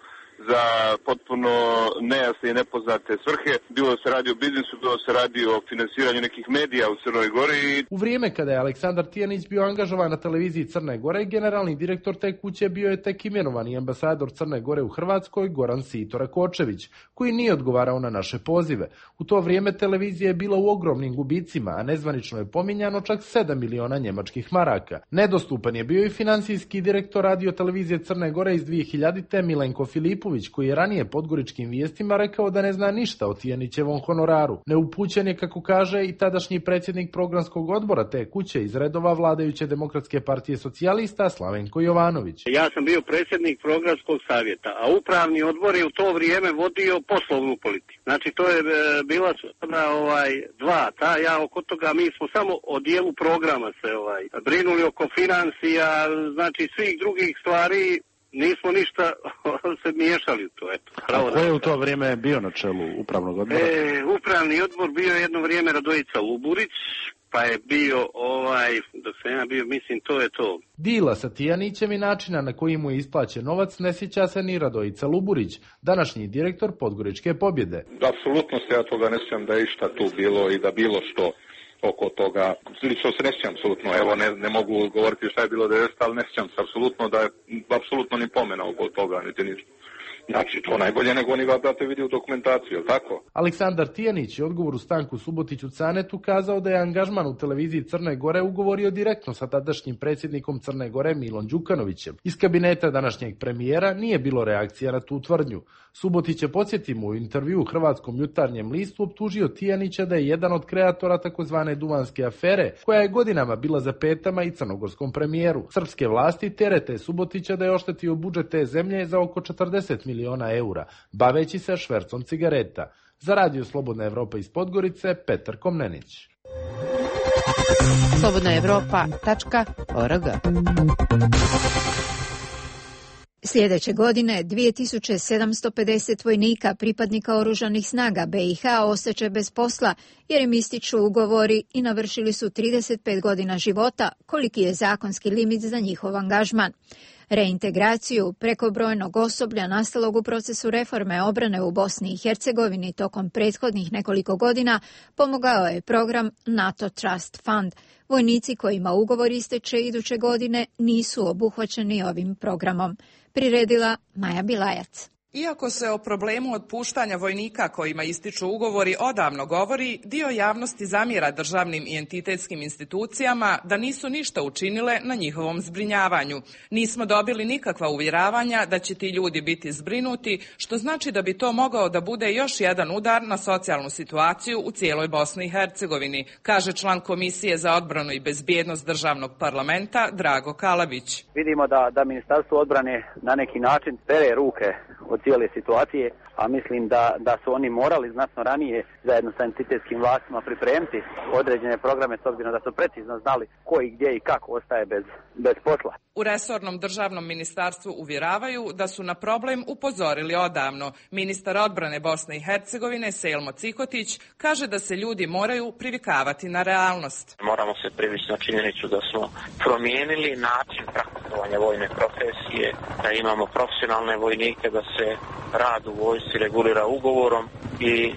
za potpuno nejasne i nepoznate svrhe. Bilo se radi o biznisu, bilo se radi o finansiranju nekih medija u Crnoj Gori. U vrijeme kada je Aleksandar Tijanić bio angažovan na televiziji Crne Gore, generalni direktor te kuće bio je tek imenovani ambasador Crne Gore u Hrvatskoj, Goran Sito Rakočević, koji nije odgovarao na naše pozive. U to vrijeme televizija je bila u ogromnim gubicima, a nezvanično je pominjano čak sedam miliona njemačkih maraka. Nedostupan je bio i financijski direktor radiotelevizije Crne Gore iz dvije hiljadite. Milenko Filipović, koji je ranije podgoričkim vijestima rekao da ne zna ništa o Tijanićevom honoraru. Neupućen je, kako kaže, i tadašnji predsjednik programskog odbora te kuće iz redova vladajuće Demokratske partije socijalista Slavenko Jovanović. Ja sam bio predsjednik programskog savjeta, a upravni odbor je u to vrijeme vodio poslovnu politiku. Znači to je e, bila ovaj, dva, ta, ja oko toga mi smo samo o dijelu programa se ovaj, brinuli oko financija, znači svih drugih stvari. Nismo ništa se miješali u to. Eto. A ko je u to vrijeme bio na čelu upravnog odbora? E, upravni odbor bio jedno vrijeme Radojica Luburić, pa je bio ovaj, dok sam ja bio, mislim, to je to. Dila sa Tijanićem i načina na koji mu je isplaćen novac ne sjeća se ni Radojica Luburić, današnji direktor Podgoričke Pobjede. Apsolutno se ja toga ne sjećam da je išta tu bilo i da bilo što oko toga. Lično se ne sjećam apsolutno, evo ne, ne mogu govoriti šta je bilo devedesete, ali ne sjećam se apsolutno da je apsolutno ni pomena oko toga, niti ništa. Znači, to najbolje nego oni da te vidi u dokumentaciju, je tako? Aleksandar Tijanić je odgovoru Stanku Subotiću Canetu kazao da je angažman u televiziji Crne Gore ugovorio direktno sa tadašnjim predsjednikom Crne Gore Milom Đukanovićem. Iz kabineta današnjeg premijera nije bilo reakcija na tu tvrdnju. Subotić je, podsjetimo, u intervju u Hrvatskom jutarnjem listu optužio Tijanića da je jedan od kreatora takozvane Duvanske afere, koja je godinama bila za petama i crnogorskom premijeru. Srpske vlasti terete Subotića da je oštetio budžet te zemlje za oko četrdeset miliona eura, baveći se švercom cigareta. Za Radio Slobodna Evropa iz Podgorice, Petar Komnenić. slobodna evropa tačka org. Sljedeće godine dvije tisuće sedamsto pedeset vojnika pripadnika oružanih snaga B i H ostaće bez posla jer im ističu ugovori i navršili su trideset pet godina života, koliki je zakonski limit za njihov angažman. Reintegraciju prekobrojnog osoblja nastalog u procesu reforme obrane u Bosni i Hercegovini tokom prethodnih nekoliko godina pomogao je program NATO Trust Fund. Vojnici kojima ugovor isteče iduće godine nisu obuhvaćeni ovim programom. Priredila Maja Bilajac. Iako se o problemu otpuštanja vojnika kojima ističu ugovori odavno govori, dio javnosti zamjera državnim i entitetskim institucijama da nisu ništa učinile na njihovom zbrinjavanju. Nismo dobili nikakva uvjeravanja da će ti ljudi biti zbrinuti, što znači da bi to mogao da bude još jedan udar na socijalnu situaciju u cijeloj Bosni i Hercegovini, kaže član Komisije za odbranu i bezbjednost državnog parlamenta Drago Kalabić. Vidimo da, da Ministarstvo odbrane na neki način pere ruke od cijele situacije, a mislim da, da su oni morali znatno ranije zajedno sa entitetskim vlastima pripremiti određene programe s obzirom da su precizno znali ko i gdje i kako ostaje bez, bez posla. U resornom državnom ministarstvu uvjeravaju da su na problem upozorili odavno. Ministar odbrane Bosne i Hercegovine Selmo Cikotić kaže da se ljudi moraju privikavati na realnost. Moramo se privići na činjenicu da smo promijenili način praktikovanja vojne profesije, da imamo profesionalne vojnike, da se rad u vojsci regulira ugovorom i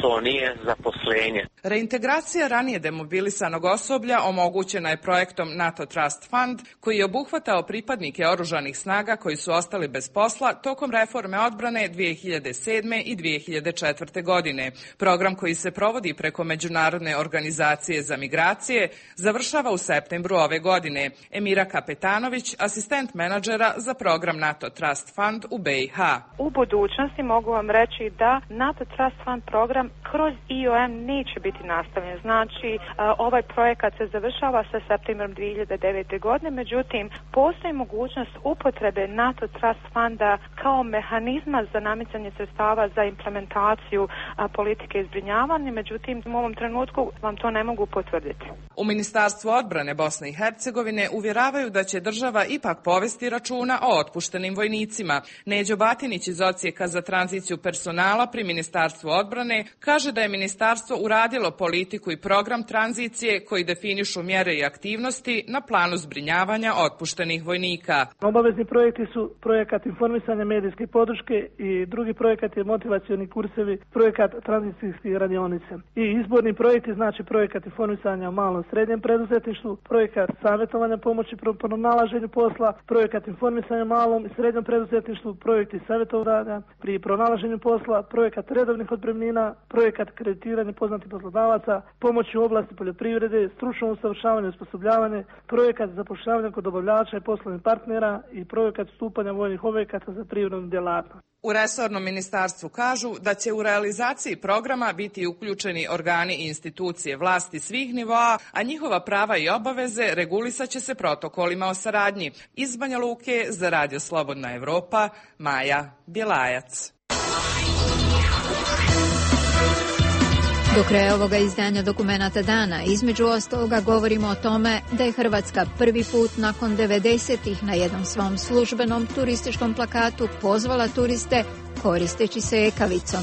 to nije zaposlenje. Reintegracija ranije demobilisanog osoblja omogućena je projektom NATO Trust Fund, koji je obuhvatao pripadnike oružanih snaga koji su ostali bez posla tokom reforme odbrane dvije hiljade sedme. i dvije hiljade četvrte. godine. Program koji se provodi preko Međunarodne organizacije za migracije završava u septembru ove godine. Emira Kapetanović, asistent menadžera za program NATO Trust Fund u B i H. U budućnosti mogu vam reći da NATO Trust Fund program kroz I O M neće biti nastavljen. Znači, ovaj projekat se završava sa septembrom dvije hiljade devete. godine, međutim, postoji mogućnost upotrebe NATO Trust Funda kao mehanizma za namicanje sredstava za implementaciju politike izbrinjavanja, međutim, u ovom trenutku vam to ne mogu potvrditi. U Ministarstvu odbrane Bosne i Hercegovine uvjeravaju da će država ipak povesti računa o otpuštenim vojnicima. Neđo Batinić iz Odsjeka za tranziciju personala pri Ministarstvu odbrane kaže da je ministarstvo uradilo politiku i program tranzicije koji definišu mjere i aktivnosti na planu zbrinjavanja otpuštenih vojnika. Obavezni projekti su projekat informisanja medijske podrške i drugi projekat je motivacioni kursevi, projekat tranzicijskih radionica. I izborni projekti znači projekat informisanja o malom i srednjem preduzetništvu, projekat savjetovanja pomoći pri pronalaženju posla, projekat informisanja o malom i srednjem preduzetništvu, projekti savjetovanja pri pronalaženju posla, projekat redovnih otpremnina, projekat kreditiranja poznatih poslodavaca, pomoć u oblasti poljoprivrede, stručno usavršavanje i osposobljavanje, projekat zapošljavanja kod dobavljača i poslovnih partnera i projekat stupanja vojnih objekata za privrednu djelatnost. U resornom ministarstvu kažu da će u realizaciji programa biti uključeni organi i institucije vlasti svih nivoa, a njihova prava i obaveze regulisat će se protokolima o saradnji. Iz Banja Luke za Radio Slobodna Evropa, Maja Bjelajac. Do kraja ovoga izdanja Dokumenata dana između ostaloga govorimo o tome da je Hrvatska prvi put nakon devedesetih na jednom svom službenom turističkom plakatu pozvala turiste koristeći se ekavicom.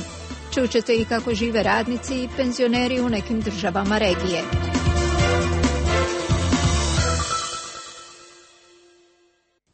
Čućete i kako žive radnici i penzioneri u nekim državama regije.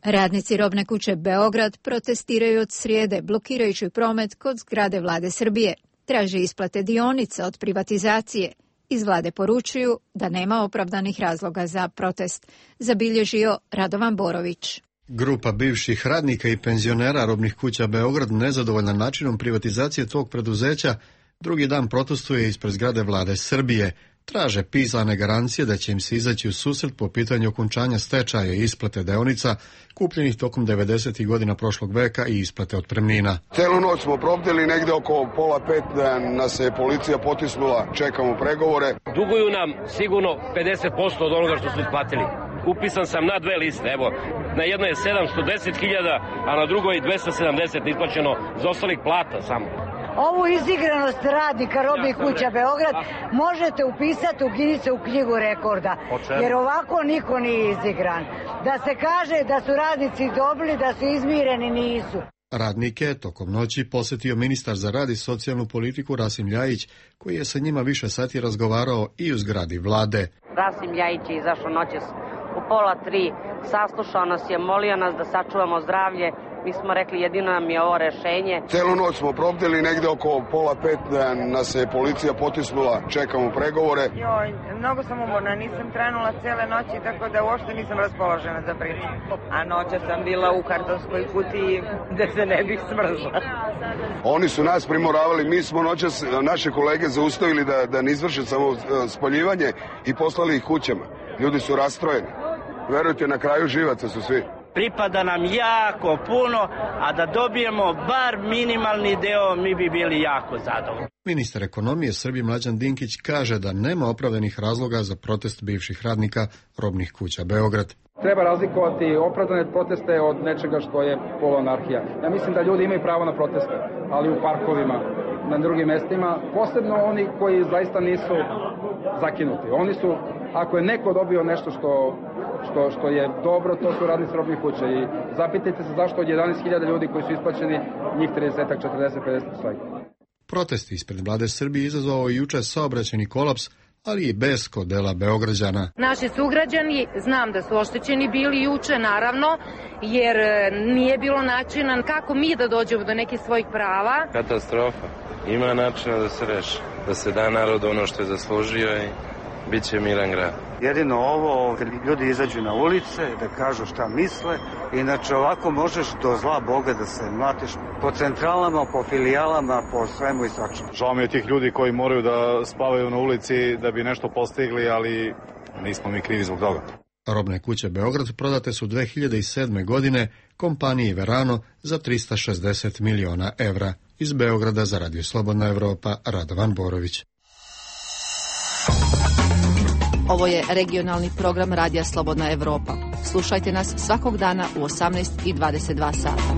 Radnici robne kuće Beograd protestiraju od srijede blokirajući promet kod zgrade Vlade Srbije. Traže isplate dionica od privatizacije. Iz vlade poručuju da nema opravdanih razloga za protest. Zabilježio Radovan Borović. Grupa bivših radnika i penzionera robnih kuća Beograd nezadovoljna načinom privatizacije tog preduzeća drugi dan protestuje ispred zgrade Vlade Srbije. Traže pisane garancije da će im se izaći u susret po pitanju okončanja stečaja i isplate deonica kupljenih tokom devedesetih godina prošlog veka i isplate otpremnina. Celu noć smo probdili, negde oko pola pet da nas je policija potisnula, čekamo pregovore. Duguju nam sigurno pedeset posto od onoga što su isplatili. Upisan sam na dve liste, evo, na jednoj je sedamsto deset hiljada, a na drugoj dvesta sedamdeset isplaćeno za ostalih plata samo. Ovu izigranost radnika robnih kuća Beograd možete upisati u Ginicu u knjigu rekorda, jer ovako niko nije izigran. Da se kaže da su radnici dobili, da su izmireni, nisu. Radnike tokom noći posjetio ministar za rad i socijalnu politiku Rasim Ljajić, koji je sa njima više sati razgovarao i u zgradi vlade. Rasim Ljajić je izašao noćas u pola tri, saslušao nas je, molio nas da sačuvamo zdravlje. Mi smo rekli jedino nam je ovo rešenje. Celu noć smo probdili, negde oko pola pet nas je policija potisnula, čekamo pregovore. Joj, mnogo sam umorna, nisam trenula cele noći, tako da uopšte nisam raspoložena za priču. A noća sam bila u kartonskoj kutiji da se ne bih smrzla. Oni su nas primoravali, mi smo noćas naše kolege zaustavili da, da ne izvrše samo spaljivanje i poslali ih kućama. Ljudi su rastrojeni. Verujte, na kraju živaca su svi. Pripada nam jako puno, a da dobijemo bar minimalni deo, mi bi bili jako zadovoljni. Ministar ekonomije Srbije Mlađan Dinkić kaže da nema opravdanih razloga za protest bivših radnika robnih kuća Beograd. Treba razlikovati opravdane proteste od nečega što je poluanarhija. Ja mislim da ljudi imaju pravo na proteste, ali u parkovima, na drugim mestima, posebno oni koji zaista nisu zakinuti. Oni su, ako je neko dobio nešto što, što, što je dobro, to su radnici robnih kuća. I zapitajte se zašto od jedanaest hiljada ljudi koji su isplaćeni, njih trideset, četrdeset, pedeset svega. Protesti ispred vlade Srbije izazvao i juče saobraćajni kolaps, ali i bes kod dela Beograđana. Naši sugrađani, znam da su oštećeni bili juče, naravno, jer nije bilo načina kako mi da dođemo do nekih svojih prava. Katastrofa. Ima načina da se reši, da se da narod ono što je zaslužio i bit će miran grad. Jedino ovo, kad ljudi izađu na ulice, da kažu šta misle, inače ovako možeš do zla Boga da se mlatiš po centralama, po filijalama, po svemu i svačemu. Žao mi je tih ljudi koji moraju da spavaju na ulici da bi nešto postigli, ali nismo mi krivi zbog toga. Robne kuće Beograd prodate su dve hiljade sedme. godine kompaniji Verano za trista šezdeset miliona evra. Iz Beograda za Radio Slobodna Evropa, Radovan Borović. Ovo je regionalni program Radija Slobodna Evropa. Slušajte nas svakog dana u osamnaest i dvadeset dva sata.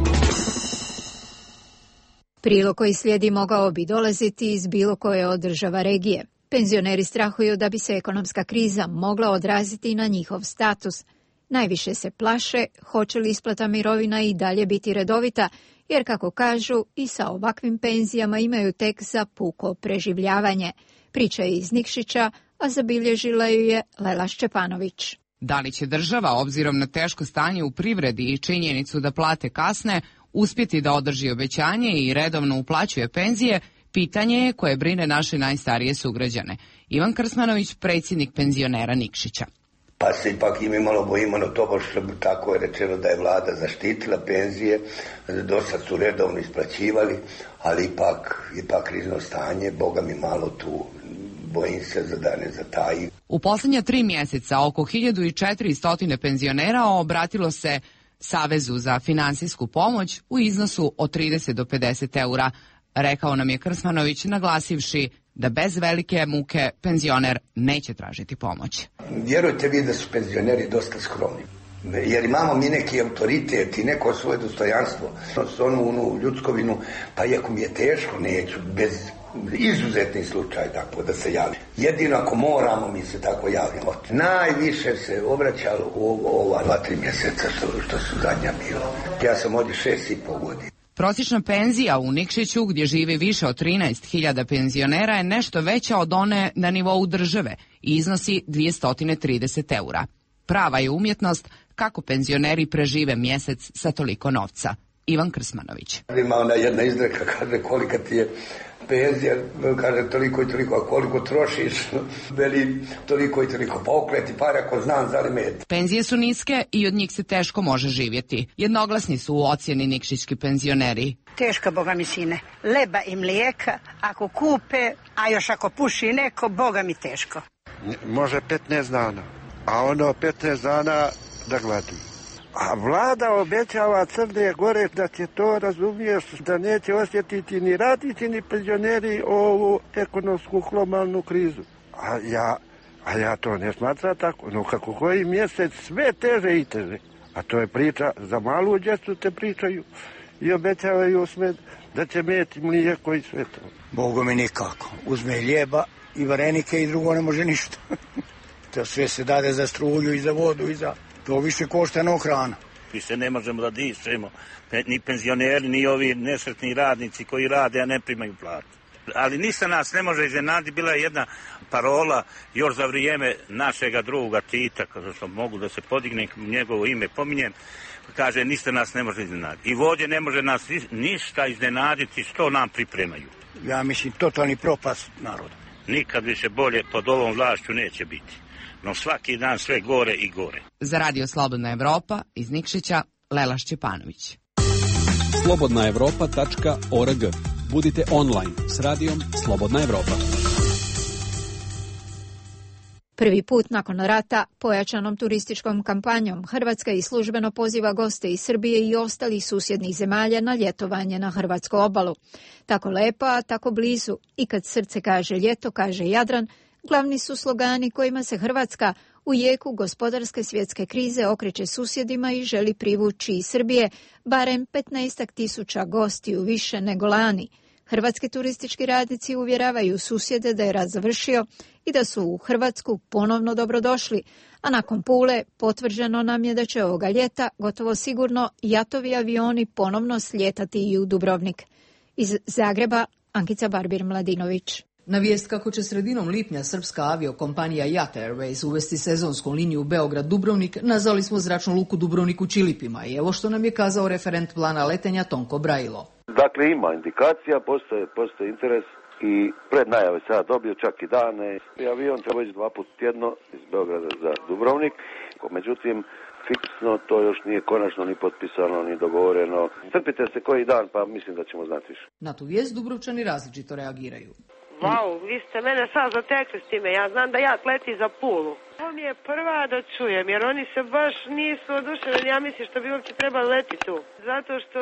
Prilog koji slijedi mogao bi dolaziti iz bilo koje od država regije. Penzioneri strahuju da bi se ekonomska kriza mogla odraziti na njihov status. Najviše se plaše hoće li isplata mirovina i dalje biti redovita, jer kako kažu i sa ovakvim penzijama imaju tek za puko preživljavanje. Priča je iz Nikšića, a zabilježila ju je Lela Šćepanović. Da li će država, obzirom na teško stanje u privredi i činjenicu da plate kasne, uspjeti da održi obećanje i redovno uplaćuje penzije, pitanje je koje brine naše najstarije sugrađane. Ivan Krsmanović, predsjednik penzionera Nikšića. Pa se ipak i mi malo bojimo na to, što tako je rečeno da je vlada zaštitila penzije, do sad su redovno isplaćivali, ali ipak, ipak krizno stanje, Boga mi malo tu, bojim se za da ne zataji. U posljednja tri mjeseca oko hiljadu četiristo penzionera obratilo se Savezu za finansijsku pomoć u iznosu od trideset do pedeset eura, rekao nam je Krsmanović, naglasivši da bez velike muke penzioner neće tražiti pomoć. Vjerujte vi da su penzioneri dosta skromni, jer imamo mi neki autoritet i neko svoje dostojanstvo, onu, onu ljudskovinu, pa iako mi je teško, neću, bez izuzetni slučaj tako da se javi. Jedino ako moramo, mi se tako javljamo. Najviše se obraćalo u ova dva, tri mjeseca što, što su zadnja bilo. Ja sam ovdje šest i pol godina. Prosječna penzija u Nikšiću, gdje živi više od trinaest hiljada penzionera, je nešto veća od one na nivou države i iznosi dvjesto trideset eura. Prava je umjetnost kako penzioneri prežive mjesec sa toliko novca. Ivan Krsmanović. Ima ona jedna izreka, kaže kolika ti je penzija, kaže toliko i toliko, a koliko trošiš, veli toliko i toliko, pa okleti pare ako znam za li met. Penzije su niske i od njih se teško može živjeti. Jednoglasni su u ocjeni nikšićki penzioneri. Teška, Boga mi sine, leba i mlijeka, ako kupe, a još ako puši neko, Boga mi teško. Može petnaest dana, a ono petnaest dana da gladi. A vlada obećava Crne Gore da će to, razumiješ, da neće osjetiti ni radnici ni penzioneri ovu ekonomsku globalnu krizu. A ja, a ja to ne smatram tako. No kako koji mjesec sve teže i teže. A to je priča, za malu djecu te pričaju i obećavaju sve da će meti mlijeko i sve to. Bogu mi nikako. Uzme ljeba i varenike i drugo ne može ništa. To sve se dade za struju i za vodu i za... To više košta no hrana. Više ne možemo da dišemo. Ni penzioneri, ni ovi nesretni radnici koji rade, a ne primaju platu. Ali ništa nas ne može iznenaditi. Bila je jedna parola još za vrijeme našega druga Tita, kada što mogu da se podigne njegovo ime pominjem, kaže ništa nas ne može iznenaditi. I vođe ne može nas ništa iznenaditi što nam pripremaju. Ja mislim totalni propast naroda. Nikad više bolje pod ovom vlašću neće biti. No svaki dan sve gore i gore. Za Radio Slobodna Evropa iz Nikšića, Lela Šćepanović. slobodna evropa tačka org. Budite online s radijom Slobodna Evropa. Prvi put nakon rata pojačanom turističkom kampanjom Hrvatska i službeno poziva goste iz Srbije i ostalih susjednih zemalja na ljetovanje na hrvatsku obalu. Tako lepo, a tako blizu. I kad srce kaže ljeto, kaže Jadran, glavni su slogani kojima se Hrvatska u jeku gospodarske svjetske krize okreće susjedima i želi privući iz Srbije barem petnaest tisuća gostiju više nego lani. Hrvatski turistički radnici uvjeravaju susjede da je rat završio i da su u Hrvatsku ponovno dobrodošli, a nakon Pule potvrđeno nam je da će ovoga ljeta gotovo sigurno jatovi avioni ponovno slijetati i u Dubrovnik. Iz Zagreba, Ankica Barbir-Mladinović. Na vijest kako će sredinom lipnja srpska aviokompanija Jat Airways uvesti sezonsku liniju Beograd-Dubrovnik, nazvali smo zračnu luku Dubrovnik u Čilipima i evo što nam je kazao referent plana letenja Tonko Brajilo. Dakle, ima indikacija, postoje, postoje interes i pred najave sada dobio čak i dane. Avion treba ići dva put tjedno iz Beograda za Dubrovnik, međutim, fiksno to još nije konačno ni potpisano, ni dogovoreno. Strpite se koji dan, pa mislim da ćemo znati više. Na tu vijest Dubrovčani različito reagiraju. Vau, vi ste mene sad zatekli s time, ja znam da ja leti za Pulu. Ovo mi je prva da čujem, jer oni se baš nisu oduševljeni, ja mislim što bi uopće trebali leti tu. Zato što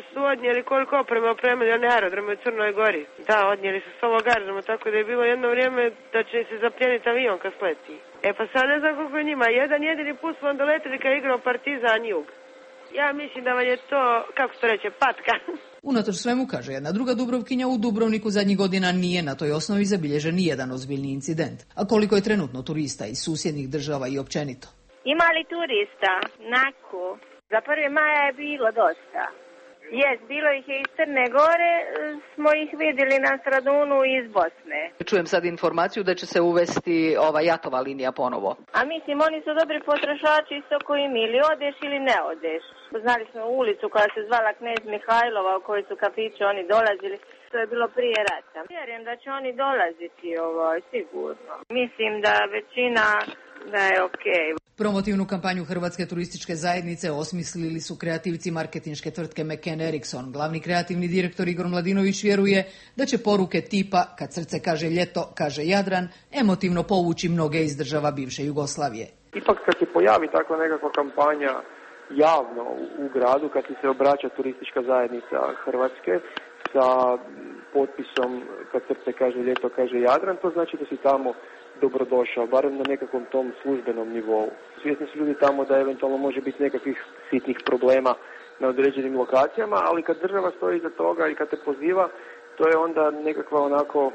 su odnijeli koliko opreme opremili one aerodrome u Crnoj Gori. Da, odnijeli su s ovog aerodroma, tako da je bilo jedno vrijeme da će se zapljeniti avion kad sleti. E pa sad ne znam koliko je njima, jedan jedini put smo onda letili kad je igrao Partizan Jug. Ja mislim da vam je to, kako se to reče, patka. Unatoč svemu, kaže jedna druga Dubrovkinja, u Dubrovniku zadnjih godina nije na toj osnovi zabilježen nijedan ozbiljni incident. A koliko je trenutno turista iz susjednih država i općenito? Ima li turista? Naku. Za prvi maja je bilo dosta. Jes, bilo ih je iz Crne Gore, smo ih vidjeli na Stradunu iz Bosne. Čujem sad informaciju da će se uvesti ova jatova linija ponovo. A mislim, oni su dobri potrošači isto koji mi, ili odeš ili ne odeš. Znali smo ulicu koja se zvala Knez Mihajlova, u kojoj su kafići oni dolazili. To je bilo prije rata. Vjerujem da će oni dolaziti, ovaj, sigurno. Mislim da većina da je okej. Okay. Promotivnu kampanju Hrvatske turističke zajednice osmislili su kreativci marketinške tvrtke McCann Erickson. Glavni kreativni direktor Igor Mladinović vjeruje da će poruke tipa kad srce kaže ljeto, kaže Jadran, emotivno povući mnoge iz država bivše Jugoslavije. Ipak kad se pojavi takva nekakva kampanja javno u, u gradu, kad se obraća turistička zajednica Hrvatske sa potpisom kad srce kaže ljeto, kaže Jadran, to znači da si tamo dobrodošao, barem na nekakvom tom službenom nivou. Svjesni su ljudi tamo da eventualno može biti nekakvih sitnih problema na određenim lokacijama, ali kad država stoji iza toga i kad te poziva, to je onda nekakva onako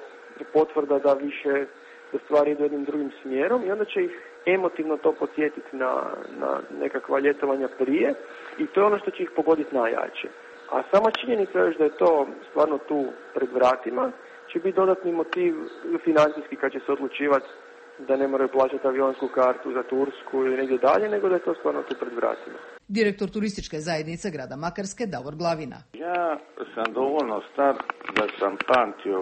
potvrda da više da stvari idu jednim drugim smjerom i onda će ih emotivno to podsjetiti na, na nekakva ljetovanja prije i to je ono što će ih pogoditi najjače. A sama činjenica je da je to stvarno tu pred vratima, će biti dodatni motiv financijski kad će se odlučivati da ne moraju plaćati avionsku kartu za Tursku ili negdje dalje, nego da je to stvarno tu pred vratima. Direktor turističke zajednice grada Makarske, Davor Glavina. Ja sam dovoljno star da sam pamtio,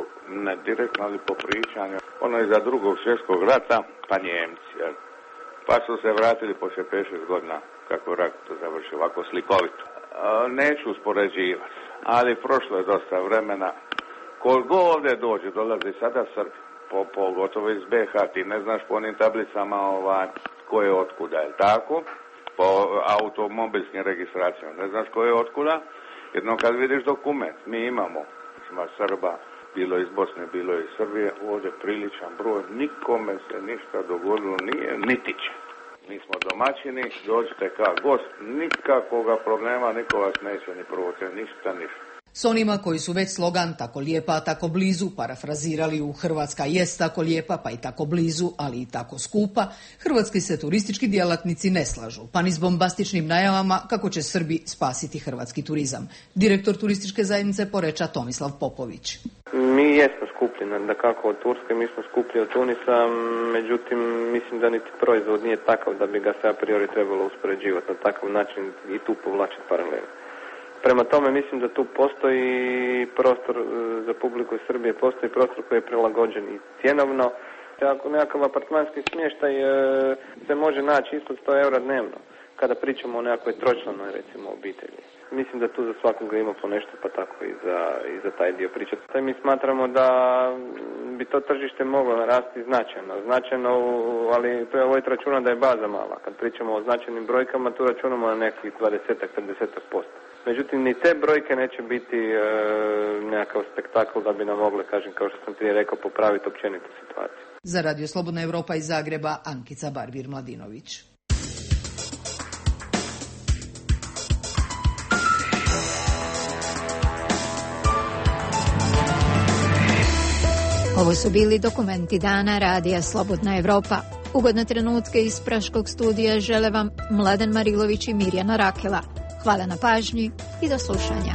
ne direktno, ali po pričanju, ono iza drugog svjetskog rata, pa Njemci, jel? Pa su se vratili poslije pet šest godina kako rat završio ovako slikovito. Neću uspoređivati, ali prošlo je dosta vremena. Koliko ovdje dođe, dolazi sada Srbi, po, pogotovo iz B H, ti ne znaš po onim tablicama ovaj, ko je otkuda, je tako? Po automobilskim registracijama, ne znaš ko je otkuda, jedno kad vidiš dokument, mi imamo, ima Srba, bilo iz Bosne, bilo iz Srbije, ovdje priličan broj, nikome se ništa dogodilo nije, niti će. Mi smo domaćini, dođite kao gost, nikakvoga problema, niko vas neće ni provocirati, ništa, ništa. S onima koji su već slogan tako lijepa, tako blizu parafrazirali u Hrvatska jest tako lijepa, pa i tako blizu, ali i tako skupa, hrvatski se turistički djelatnici ne slažu, pa ni s bombastičnim najavama kako će Srbi spasiti hrvatski turizam. Direktor turističke zajednice Poreča Tomislav Popović. Mi jesmo skuplji, da kako od Turske, mi smo skuplji od Tunisa, međutim mislim da niti proizvod nije takav da bi ga se a priori trebalo uspoređivati na takav način i tu povlačiti paralelu. Prema tome mislim da tu postoji prostor za publiku iz Srbije, postoji prostor koji je prilagođen i cjenovno. Ako nekakav apartmanski smještaj se može naći ispod sto eura dnevno, kada pričamo o nekakvoj tročlanoj recimo obitelji. Mislim da tu za svakoga ima po nešto, pa tako i za, i za taj dio pričati. Taj mi smatramo da bi to tržište moglo narasti značajno, značajno, ali treba voditi računa da je baza mala. Kad pričamo o značajnim brojkama, tu računamo na nekih dvadeset do trideset posto. Međutim, ni te brojke neće biti e, nekakav spektakl da bi nam mogle, kažem, kao što sam prije rekao, popraviti općenitu situaciju. Za Radio Slobodna Evropa iz Zagreba, Ankica Barbir-Mladinović. Ovo su bili dokumenti dana Radija Slobodna Evropa. Ugodne trenutke iz Praškog studija žele vam Mladen Marilović i Mirjana Rakela. Hvala na pažnji i do slušanja.